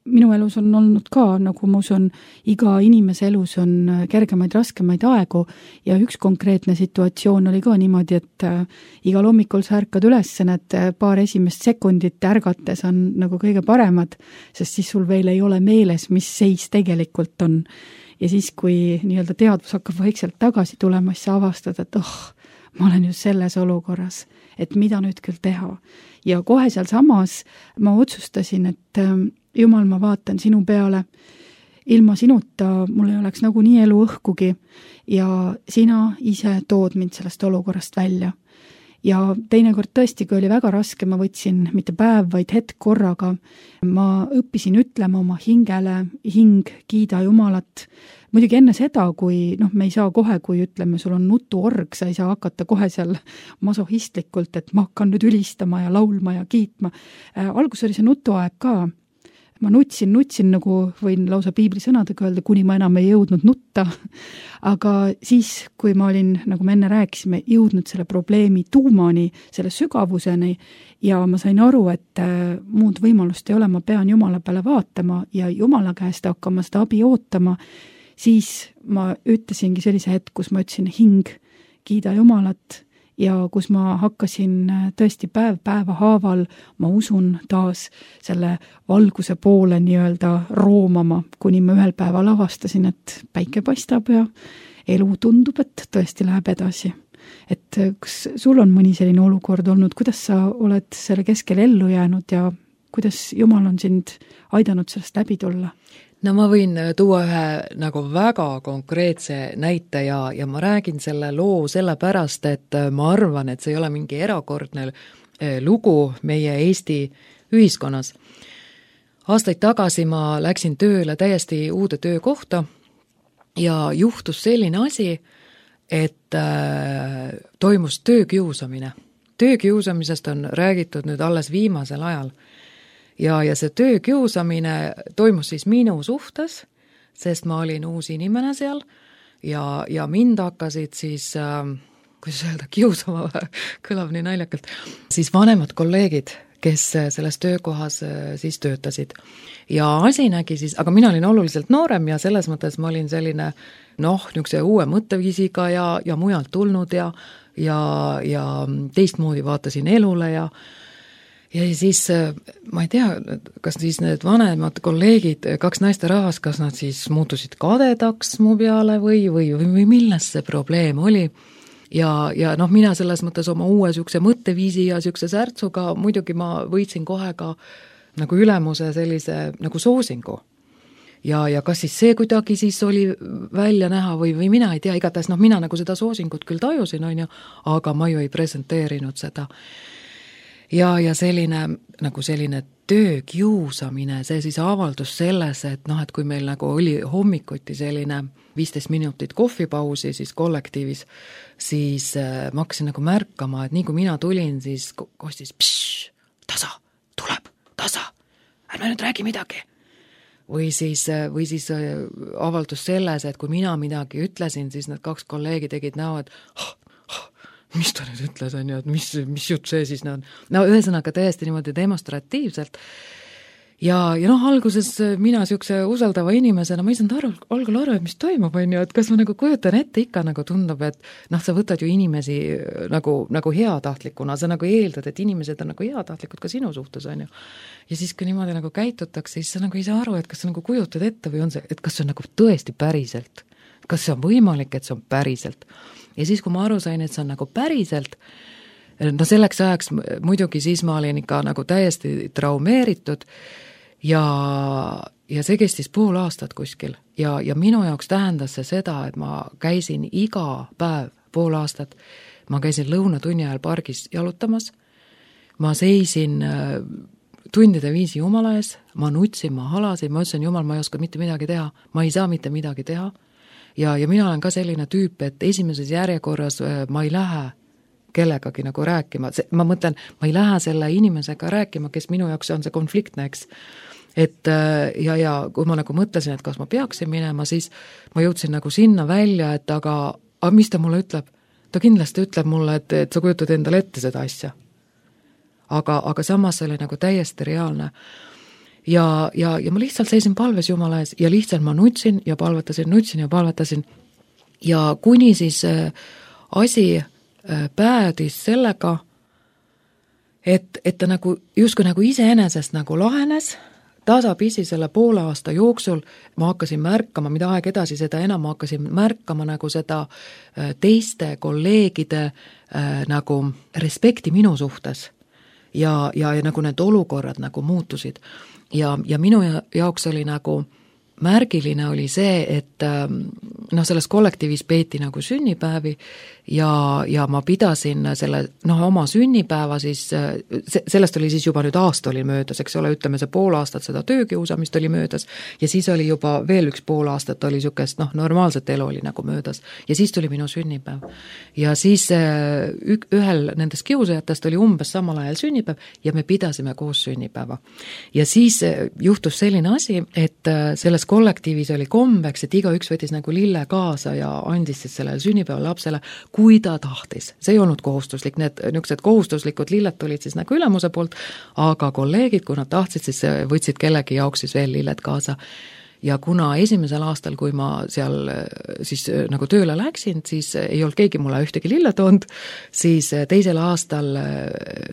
minu elus on olnud ka, nagu ma usun, iga inimese elus on kergemaid, raskemaid aegu ja üks konkreetne situatsioon oli ka niimoodi, et igal hommikul sa ärkad üles, need paar esimest sekundit ärgates on nagu kõige paremad, sest siis sul veel ei ole meeles, mis seis tegelikult on. Ja siis, kui nii-öelda teadvus hakkab vaikselt tagasi tulema, siis sa avastad, et ma olen just selles olukorras, et mida nüüd küll teha. Ja kohe seal samas ma otsustasin, et Jumal, ma vaatan sinu peale, ilma sinuta mul ei oleks nagu nii elu õhkugi ja sina ise tood mind sellest olukorrast välja. Ja teinekord tõesti, kui oli väga raske, ma võtsin mitte päev, vaid hetk korraga. Ma õppisin ütlema oma hingele, hing, kiida Jumalat. Muidugi enne seda, kui me ei saa kohe, kui ütleme, sul on nutuorg, sa ei saa hakata kohe seal masohistlikult, et ma hakkan nüüd ülistama ja laulma ja kiitma. Algus oli see nutuaeg ka. Ma nutsin, nagu võin lausa piibli sõnadega öelda, kuni ma enam ei jõudnud nutta. Aga siis, kui ma olin, nagu me enne rääkisime, jõudnud selle probleemi tuumani, selle sügavuseni ja ma sain aru, et muud võimalust ei ole, ma pean Jumala peale vaatama ja Jumala käest hakkama seda abi ootama, siis ma ütlesingi sellise hetk, kus ma ütlesin hing, kiida Jumalat ja kus ma hakkasin tõesti päeva haaval, ma usun taas selle valguse poole nii-öelda roomama, kuni ma ühel päeval avastasin, et päike paistab ja elu tundub, et tõesti läheb edasi. Et kas sul on mõni selline olukord olnud, kuidas sa oled selle keskel ellu jäänud ja kuidas Jumal on sind aidanud sellest läbi tulla? No ma võin tuua ühe nagu väga konkreetse näite ja ma räägin selle loo sellepärast, et ma arvan, et see ei ole mingi erakordne lugu meie Eesti ühiskonnas. Aastaid tagasi ma läksin tööle täiesti uude töökohta ja juhtus selline asi, et toimus töökiusamine. Töökiusamisest on räägitud nüüd alles viimasel ajal. Ja see töökiusamine toimus siis minu suhtes, sest ma olin uus inimene seal ja mind hakkasid siis, kuidas öelda, kiusama, kõlab nii naljakalt, siis vanemad kolleegid, kes selles töökohas siis töötasid. Ja asi nägi siis, aga mina olin oluliselt noorem ja selles mõttes ma olin selline, niisuguse uue mõtteviisiga ja mujalt tulnud ja teistmoodi vaatasin elule ja siis, ma ei tea, kas siis need vanemad kolleegid, kaks naisterahvast, kas nad siis muutusid kadedaks mu peale või milles see probleem oli. Ja mina selles mõttes oma uue sükse mõtteviisi ja sükse särtsuga, muidugi ma võitsin kohe ka nagu ülemuse sellise nagu soosingu. Ja kas siis see kuidagi siis oli välja näha või mina ei tea, igatahes mina nagu seda soosingut küll tajusin, aga ma ju ei presenteerinud seda. Ja selline töökiusamine, see siis avaldus selles, et kui meil nagu oli hommikuti selline 15 minutit kohvipausi siis kollektiivis, siis ma hakkasin nagu märkama, et nii kui mina tulin, siis kostis tasa, tuleb, tasa, ärme nüüd räägi midagi. Või siis avaldus selles, et kui mina midagi ütlesin, siis need kaks kolleegi tegid näo, et mis ta nüüd ütles, et mis jutt see siis on. Ühesõnaga täiesti niimoodi demonstratiivselt. ja noh, alguses mina niisuguse usaldava inimesena, ma ei saanud algul aru, et mis toimub, on ju, et kas ma nagu kujutan ette, ikka nagu tundub, et noh, sa võtad ju inimesi nagu heatahtlikuna, sa nagu eeldad, et inimesed on nagu heatahtlikud ka sinu suhtes, on ju. Ja siis, kui niimoodi nagu käitutakse, siis sa nagu ei saa aru, et kas sa nagu kujutad ette või on see, et kas see on nagu tõesti päriselt. Kas see on võimalik, et see on päriselt. Ja siis, kui ma aru sain, et see on nagu päriselt, no selleks ajaks muidugi siis ma olin ikka nagu täiesti traumeeritud ja see kestis pool aastat kuskil ja minu jaoks tähendas see seda, et ma käisin iga päev pool aastat, ma käisin lõunatunni ajal pargis jalutamas, ma seisin tundide viisi Jumala ees, ma nutsin, ma halasin, ma ütlesin, Jumal, ma ei oska mitte midagi teha, ma ei saa mitte midagi teha ja mina olen ka selline tüüp, et esimeses järjekorras ma ei lähe kellegagi nagu rääkima, ma mõtlen, ma ei lähe selle inimesega rääkima, kes minu jaoks on see konfliktne, eks. Et ja kui ma nagu mõtlesin, et kas ma peaksin minema, siis ma jõudsin nagu sinna välja, et aga mis ta mulle ütleb? Ta kindlasti ütleb mulle, et sa kujutad endale ette seda asja. Aga samas see oli nagu täiesti reaalne. Ja ma lihtsalt seisin palves Jumala ees ja lihtsalt ma nutsin ja palvetasin. Ja kuni siis asi päädis sellega, et ta nagu justkui nagu iseenesest nagu lahenes, tasapisi selle poole aasta jooksul ma hakkasin märkama, mida aeg edasi, seda enam ma hakkasin märkama nagu seda teiste kolleegide nagu respekti minu suhtes ja nagu need olukorrad nagu muutusid. Ja minu jaoks oli nagu märgiline oli see, et selles kollektiivis peeti nagu sünnipäevi ja ma pidasin selle oma sünnipäeva siis, sellest oli siis juba nüüd aasta oli möödas, eks ole, ütleme see pool aastat seda töökiusamist oli möödas ja siis oli juba veel üks pool aastat oli niisugust normaalset elu oli nagu möödas ja siis tuli minu sünnipäev. Ja siis ühel nendest kiusajatest oli umbes samal ajal sünnipäev ja me pidasime koos sünnipäeva. Ja siis juhtus selline asi, et selles kollektiivis oli kombeks, et igaüks võttis nagu lille kaasa ja andis siis sellele sünnipäeva lapsele, kui ta tahtis. See ei olnud kohustuslik, need niisugused kohustuslikud lilled tulid siis nagu ülemuse poolt, aga kolleegid, kui nad tahtsid, siis võtsid kellegi jaoks siis veel lilled kaasa. Ja kuna esimesel aastal, kui ma seal siis nagu tööle läksin, siis ei olnud keegi mulle ühtegi lille toonud, siis teisel aastal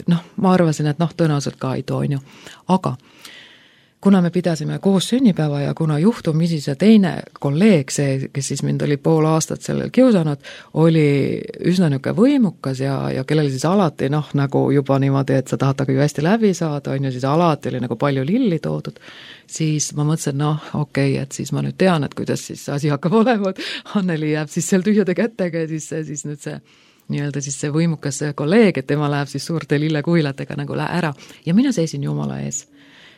ma arvasin, et tõenäoliselt ka ei too, on ju. Aga kuna me pidasime koos sünnipäeva ja kuna juhtumisi see teine kolleeg, see, kes siis mind oli pool aastat sellel kiusanud, oli üsna niisugune võimukas ja kellel siis alati nagu juba niimoodi, et sa tahad taga ju hästi läbi saada, on ju, siis alati oli nagu palju lilli toodud, siis ma mõtlesin, okei, et siis ma nüüd tean, et kuidas siis asi hakkab olema, et Anneli jääb siis seal tühjade kätega ja siis nüüd see nii-öelda siis see võimukas kolleeg, et tema läheb siis suurte lillekuilatega nagu ära ja mina seisin Jumala ees.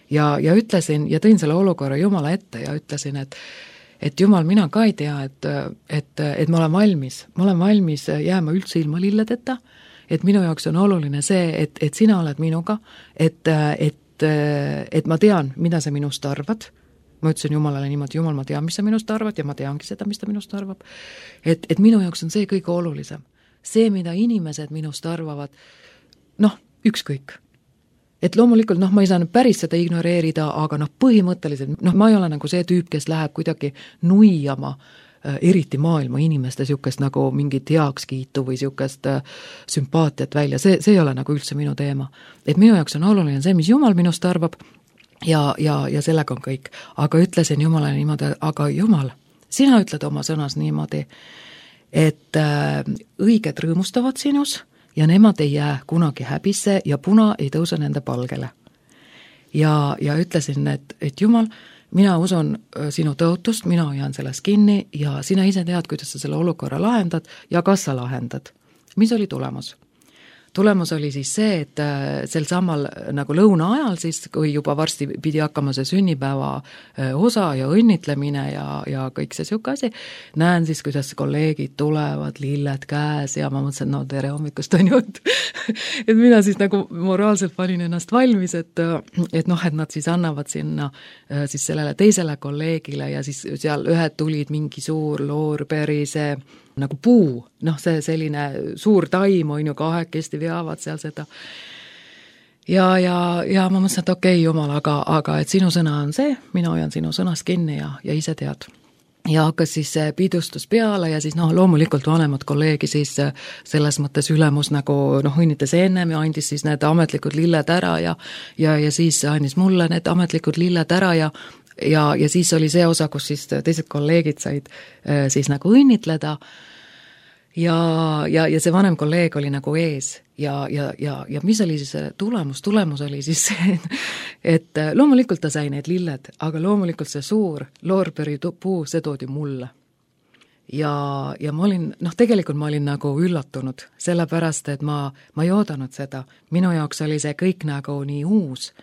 Ja ütlesin ja tõin selle olukorra Jumala ette ja ütlesin, et Jumal, mina ka ei tea, et ma olen valmis jääma üldse ilma lilledeta, et minu jaoks on oluline see, et sina oled minuga, et ma tean, mida sa minust arvad. Ma ütlesin Jumalale niimoodi, Jumal, ma tean, mis sa minust arvad ja ma teangi seda, mis ta minust arvab. Et minu jaoks on see kõige olulisem. See, mida inimesed minust arvavad, ükskõik. Et loomulikult, ma ei saa nüüd päris seda ignoreerida, aga põhimõtteliselt, ma ei ole nagu see tüüp, kes läheb kuidagi nuiama eriti maailma inimeste niisugust nagu mingit heakskiitu või niisugust sümpaatiat välja, see ei ole nagu üldse minu teema. Et minu jaoks on oluline see, mis Jumal minust arvab ja sellega on kõik. Aga ütlesin Jumalale niimoodi, aga Jumal, sina ütled oma sõnas niimoodi, et õiged rõõmustavad sinus, ja nemad ei jää kunagi häbisse ja puna ei tõuse nende palgele. Ja ütlesin, et Jumal, mina usun sinu tõotust, mina jään sellest kinni ja sina ise tead, kuidas sa selle olukorra lahendad ja kas sa lahendad. Mis oli tulemus? Tulemus oli siis see, et sel samal nagu lõuna ajal siis, kui juba varsti pidi hakkama see sünnipäeva osa ja õnnitlemine ja kõik see siuke asi, näen siis, kuidas kolleegid tulevad, lilled käes ja ma mõtlesin, tere hommikust on ju, et mina siis nagu moraalselt panin ennast valmis, et nad siis annavad sinna siis sellele teisele kolleegile ja siis seal ühed tulid mingi suur loorberi, see nagu puu, see selline suur taim on ju kahekesti veavad seal seda. ja ma mõtlesin, et okei, jumal, aga et sinu sõna on see, mina hoian sinu sõnast kinni ja ise tead. Ja hakkas siis see pidustus peale ja siis loomulikult vanemad kolleegi siis selles mõttes ülemus nagu õnnitas ennem ja andis siis need ametlikud lilled ära ja siis andis mulle need ametlikud lilled ära ja siis oli see osa, kus siis teised kolleegid said siis nagu õnnitleda ja see vanem kolleeg oli nagu ees ja mis oli siis tulemus? Tulemus oli siis see, et loomulikult ta sai need lilled, aga loomulikult see suur loorberi puu, see toodi mulle. Ja ma olin, tegelikult ma olin nagu üllatunud, sellepärast, et ma ei oodanud seda. Minu jaoks oli see kõik nagu nii uus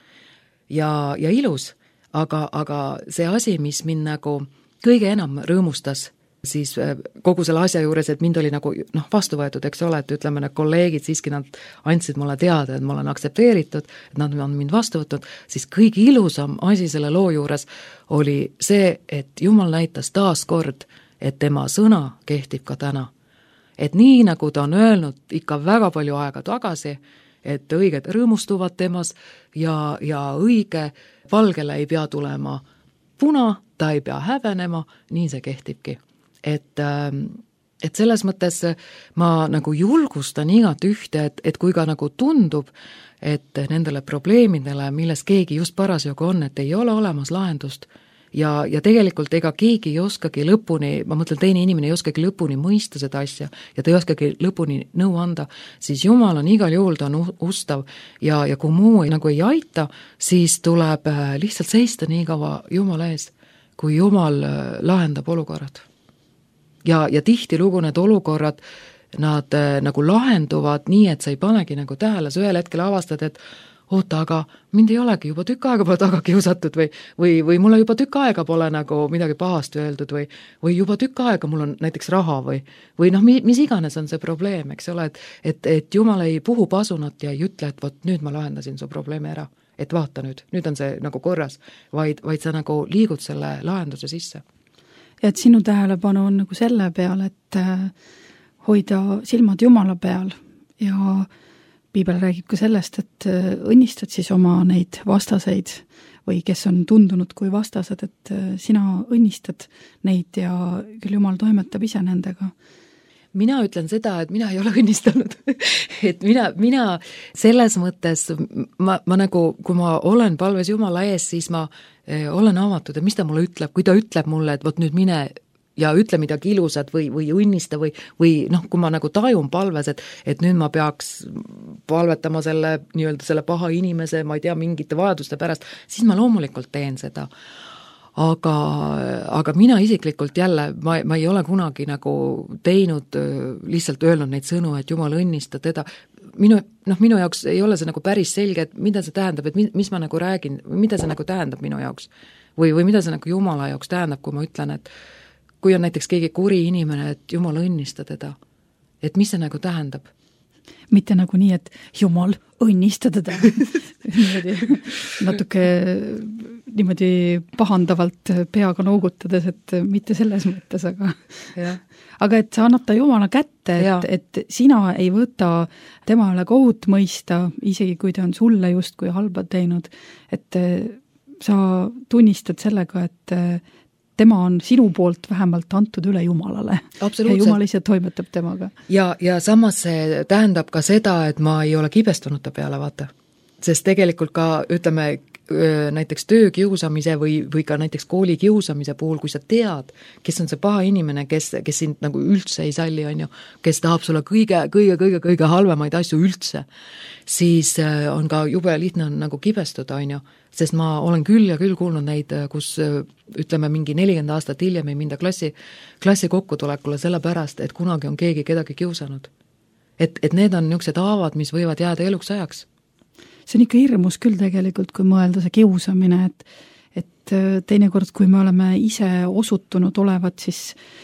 ja ilus, aga see asi, mis mind nagu kõige enam rõõmustas, siis kogu selle asja juures, et mind oli nagu vastu võetud, eks ole, et ütleme, need kolleegid siiski nad andsid mulle teada, et ma olen aktsepteeritud, et nad on mind vastu võtnud, siis kõige ilusam asi selle loo juures oli see, et Jumal näitas taas kord, et tema sõna kehtib ka täna. Et nii, nagu ta on öelnud ikka väga palju aega tagasi, et õiged rõõmustuvad temas ja õige valgele ei pea tulema puna, ta ei pea hävenema, nii see kehtibki. Et selles mõttes ma nagu julgustan igat ühte, et kui ka nagu tundub, et nendele probleemidele, milles keegi just parasjagu on, et ei ole olemas lahendust ja tegelikult ega keegi ei oskagi lõpuni, ma mõtlen, teine inimene ei oskagi lõpuni mõista seda asja ja ta ei oskagi lõpuni nõu anda, siis Jumal on igal juhul, ta on ustav ja kui muu nagu ei aita, siis tuleb lihtsalt seista nii kaua Jumala ees, kui Jumal lahendab olukorrad. Ja tihtilugu need olukorrad, nad nagu lahenduvad nii, et sa ei panegi nagu tähele, sa ühel hetkel avastad, et oota, aga mind ei olegi juba tükk aega pole taga kiusatud või mulle juba tükk aega pole nagu midagi pahast öeldud või juba tükk aega mul on näiteks raha või mis iganes on see probleem, eks ole, et Jumal ei puhu pasunat ja ei ütle, et vot nüüd ma lahendasin su probleemi ära, et vaata nüüd on see nagu korras, vaid sa nagu liigud selle lahenduse sisse. Ja et sinu tähelepanu on nagu selle peal, et hoida silmad Jumala peal ja Piibel räägib ka sellest, et õnnistad siis oma neid vastaseid või kes on tundunud kui vastased, et sina õnnistad neid ja küll Jumal toimetab ise nendega. Mina ütlen seda, et mina ei ole õnnistanud. Et mina selles mõttes, ma nagu, kui ma olen palves Jumala ees, siis ma olen avatud, et mis ta mulle ütleb, kui ta ütleb mulle, et vot nüüd mine ja ütle midagi ilusat või õnnista või kui ma nagu tajun palves, et nüüd ma peaks palvetama selle paha inimese, ma ei tea, mingite vajaduste pärast, siis ma loomulikult teen seda. Aga mina isiklikult jälle, ma ei ole kunagi nagu teinud, lihtsalt öelnud neid sõnu, et Jumal õnnista teda. Minu jaoks ei ole see nagu päris selge, et mida see tähendab, et mis ma nagu räägin, mida see nagu tähendab minu jaoks. Või mida see nagu Jumala jaoks tähendab, kui ma ütlen, et kui on näiteks keegi kuri inimene, et Jumal õnnista teda, et mis see nagu tähendab? Mitte nagu nii, et Jumal õnnista teda. Natuke niimoodi pahandavalt peaga noogutades, et mitte selles mõttes, aga et sa annad ta Jumala kätte, et sina ei võta tema üle kohut mõista, isegi kui ta on sulle justkui halba teinud, et sa tunnistad sellega, et tema on sinu poolt vähemalt antud üle Jumalale. Ja Jumal ise toimetab temaga. Ja samas see tähendab ka seda, et ma ei ole kibestunud ta peale, vaata. Sest tegelikult ka, ütleme, näiteks töökiusamise või ka näiteks kooli kiusamise puhul, kui sa tead, kes on see paha inimene, kes sind nagu üldse ei salli, on ju, kes tahab sulle kõige halvemaid asju üldse, siis on ka jube lihtne nagu kibestuda, on ju, sest ma olen küll ja küll kuulnud neid, kus ütleme mingi 40 aastat hiljem ei minda klassi kokkutulekule sellepärast, et kunagi on keegi kedagi kiusanud. Et need on niisugused haavad, mis võivad jääda eluks ajaks. See on ikka hirmus küll tegelikult, kui mõelda see kiusamine, et teinekord, kui me oleme ise osutunud olevat siis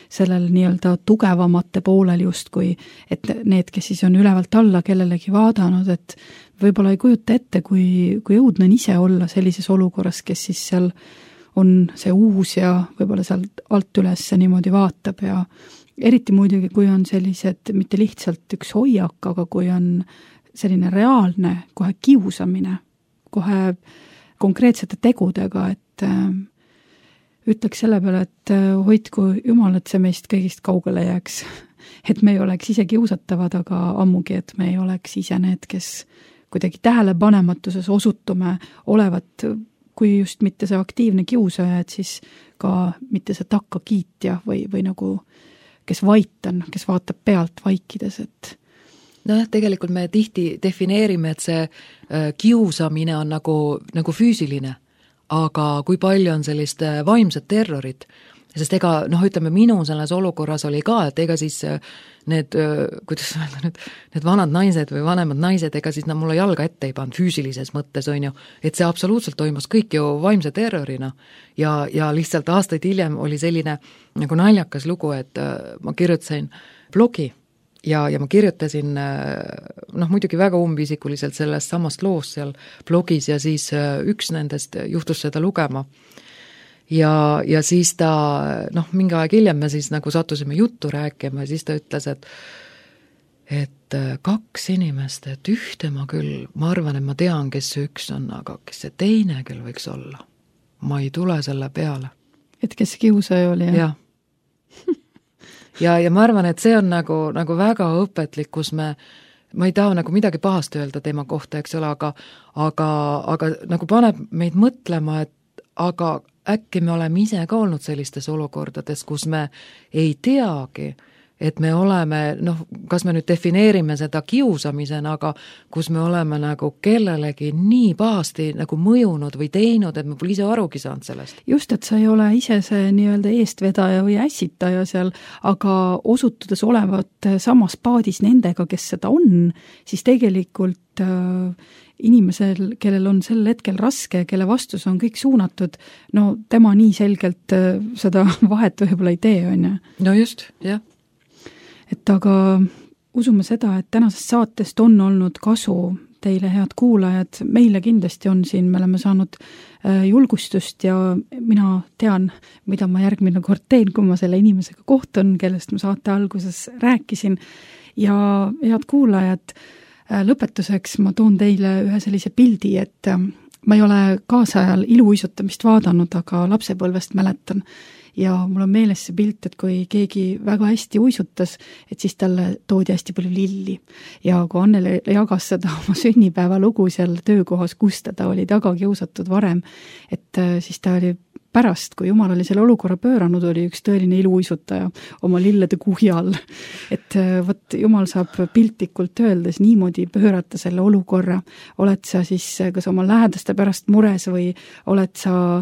sellel nii-öelda tugevamate poolel justkui, et need, kes siis on ülevalt alla kellelegi vaadanud, et võib-olla ei kujuta ette, kui õudne on ise olla sellises olukorras, kes siis seal on see uus ja võib-olla sealt alt üles niimoodi vaatab ja eriti muidugi, kui on sellised, mitte lihtsalt üks hoiak, aga kui on selline reaalne kohe kiusamine, kohe konkreetsete tegudega, et ütleks selle peale, et hoidku Jumal, et see meist kõigist kaugele jääks. Et me ei oleks ise kiusatavad, aga ammugi, et me ei oleks ise need, kes kuidagi tähelepanematuses osutume olevat, kui just mitte see aktiivne kiusaja, et siis ka mitte see takkakiitja või nagu kes vaitan, kes vaatab pealt vaikides, et tegelikult me tihti defineerime, et see kiusamine on nagu füüsiline, aga kui palju on sellist vaimset terrorit, sest ega, ütleme, minu selles olukorras oli ka, et ega siis need, kuidas öelda nüüd, need vanad naised või vanemad naised, ega siis mulle jalga ette ei pannud füüsilises mõttes, on ju, et see absoluutselt toimus kõik ju vaimse terrorina ja lihtsalt aastaid hiljem oli selline nagu naljakas lugu, et ma kirjutasin blogi ja ma kirjutasin muidugi väga umbisikuliselt sellest samast loost seal blogis ja siis üks nendest juhtus seda lugema. Ja siis ta, mingi aeg hiljem me siis nagu sattusime juttu rääkima ja siis ta ütles, et 2 inimest, et ühte ma küll, ma arvan, et ma tean, kes see üks on, aga kes see teine küll võiks olla. Ma ei tule selle peale. Et kes kiusaja oli? Jah. Ja ma arvan, et see on nagu väga õpetlik, kus ma ei taha nagu midagi pahast öelda tema kohta, eks ole, aga nagu paneb meid mõtlema, et aga äkki me oleme ise ka olnud sellistes olukordades, kus me ei teagi, et me oleme, kas me nüüd defineerime seda kiusamisena, aga kus me oleme nagu kellelegi nii pahasti nagu mõjunud või teinud, et me pole ise arugi saanud sellest. Just, et sa ei ole ise see nii-öelda eestvedaja või ässitaja seal, aga osutudes olevat samas paadis nendega, kes seda on, siis tegelikult inimesel, kellel on sel hetkel raske, kelle vastus on kõik suunatud, tema nii selgelt seda vahet võib-olla ei tee, on ju? No just, jah. Et aga usume seda, et tänasest saatest on olnud kasu teile, head kuulajad, meile kindlasti on siin, me oleme saanud julgustust ja mina tean, mida ma järgmine kord teen, kui ma selle inimesega kohtun, kellest ma saate alguses rääkisin ja head kuulajad, lõpetuseks ma toon teile ühe sellise pildi, et ma ei ole kaasajal iluuisutamist vaadanud, aga lapsepõlvest mäletan. Ja mul on meeles see pilt, et kui keegi väga hästi uisutas, et siis talle toodi hästi palju lilli. Ja kui Annele jagas seda oma sünnipäeva lugu seal töökohas, kus ta oli taga kiusatud varem, et siis ta oli pärast, kui Jumal oli selle olukorra pööranud, oli üks tõeline iluuisutaja oma lillede kuhi all. Et võt, Jumal saab piltlikult öeldes niimoodi pöörata selle olukorra. Oled sa siis kas oma lähedaste pärast mures või oled sa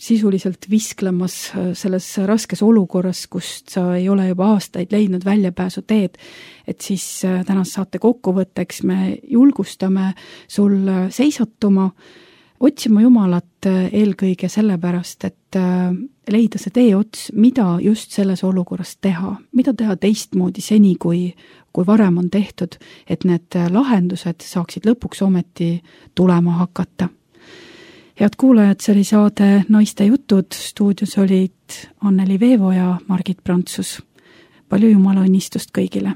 sisuliselt visklemas selles raskes olukorras, kust sa ei ole juba aastaid leidnud väljapääsu teed, et siis tänast saate kokkuvõtteks me julgustame sul seisatuma, otsima Jumalat eelkõige sellepärast, et leida see teeots, mida just selles olukorras teha, mida teha teistmoodi seni, kui varem on tehtud, et need lahendused saaksid lõpuks ometi tulema hakata. Head kuulajad, see oli saade Naiste jutud, stuudios olid Anneli Veevo ja Margit Prantsus. Palju Jumala õnnistust kõigile!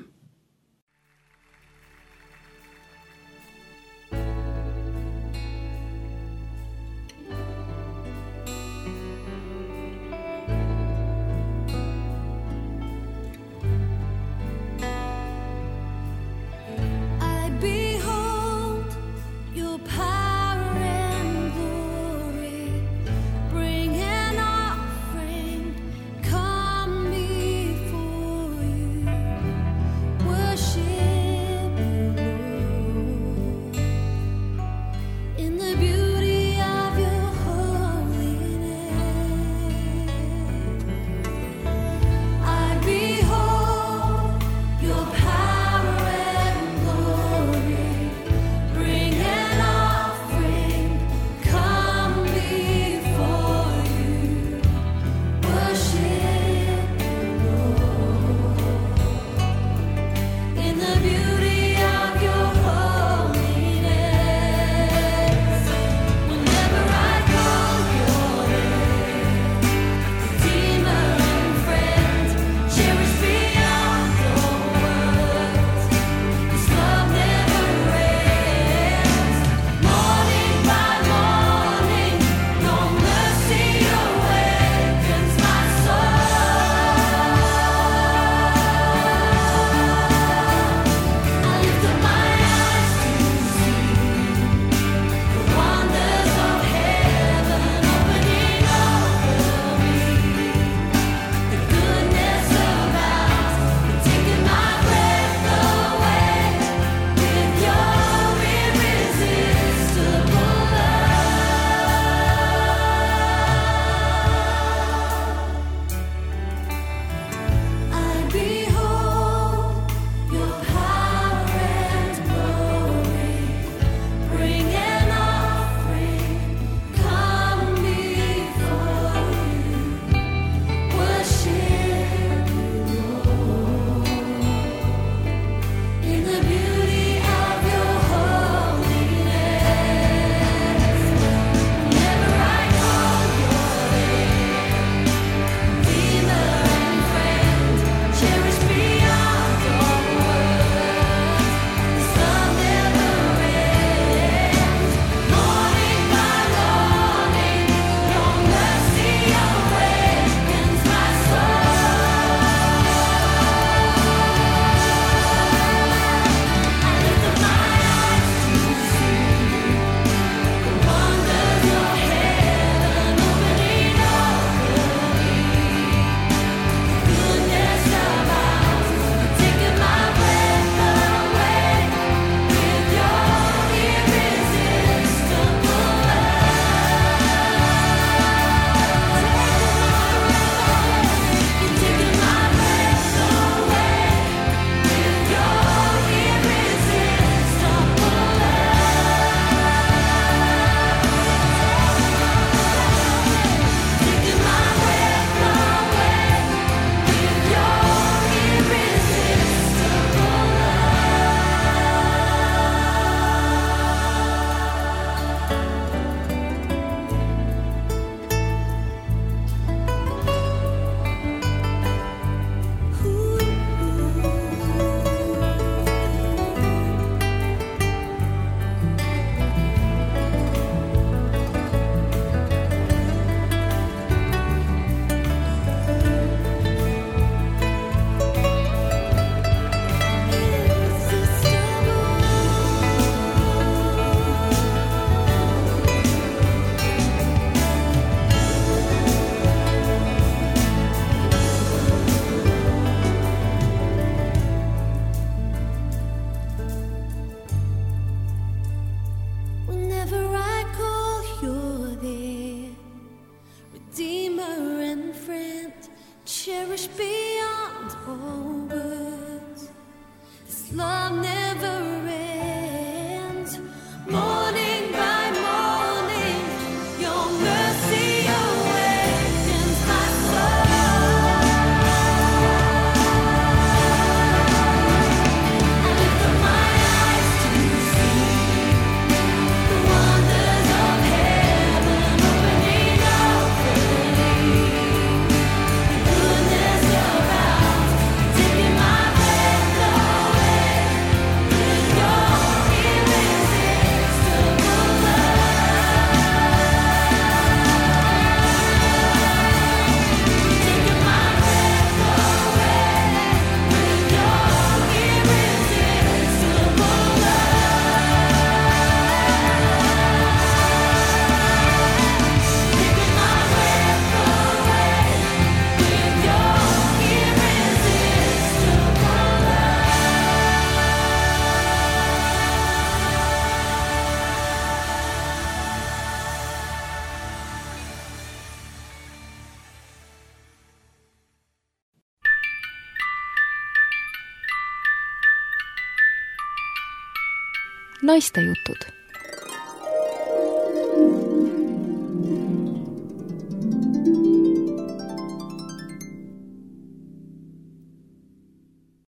naistejutud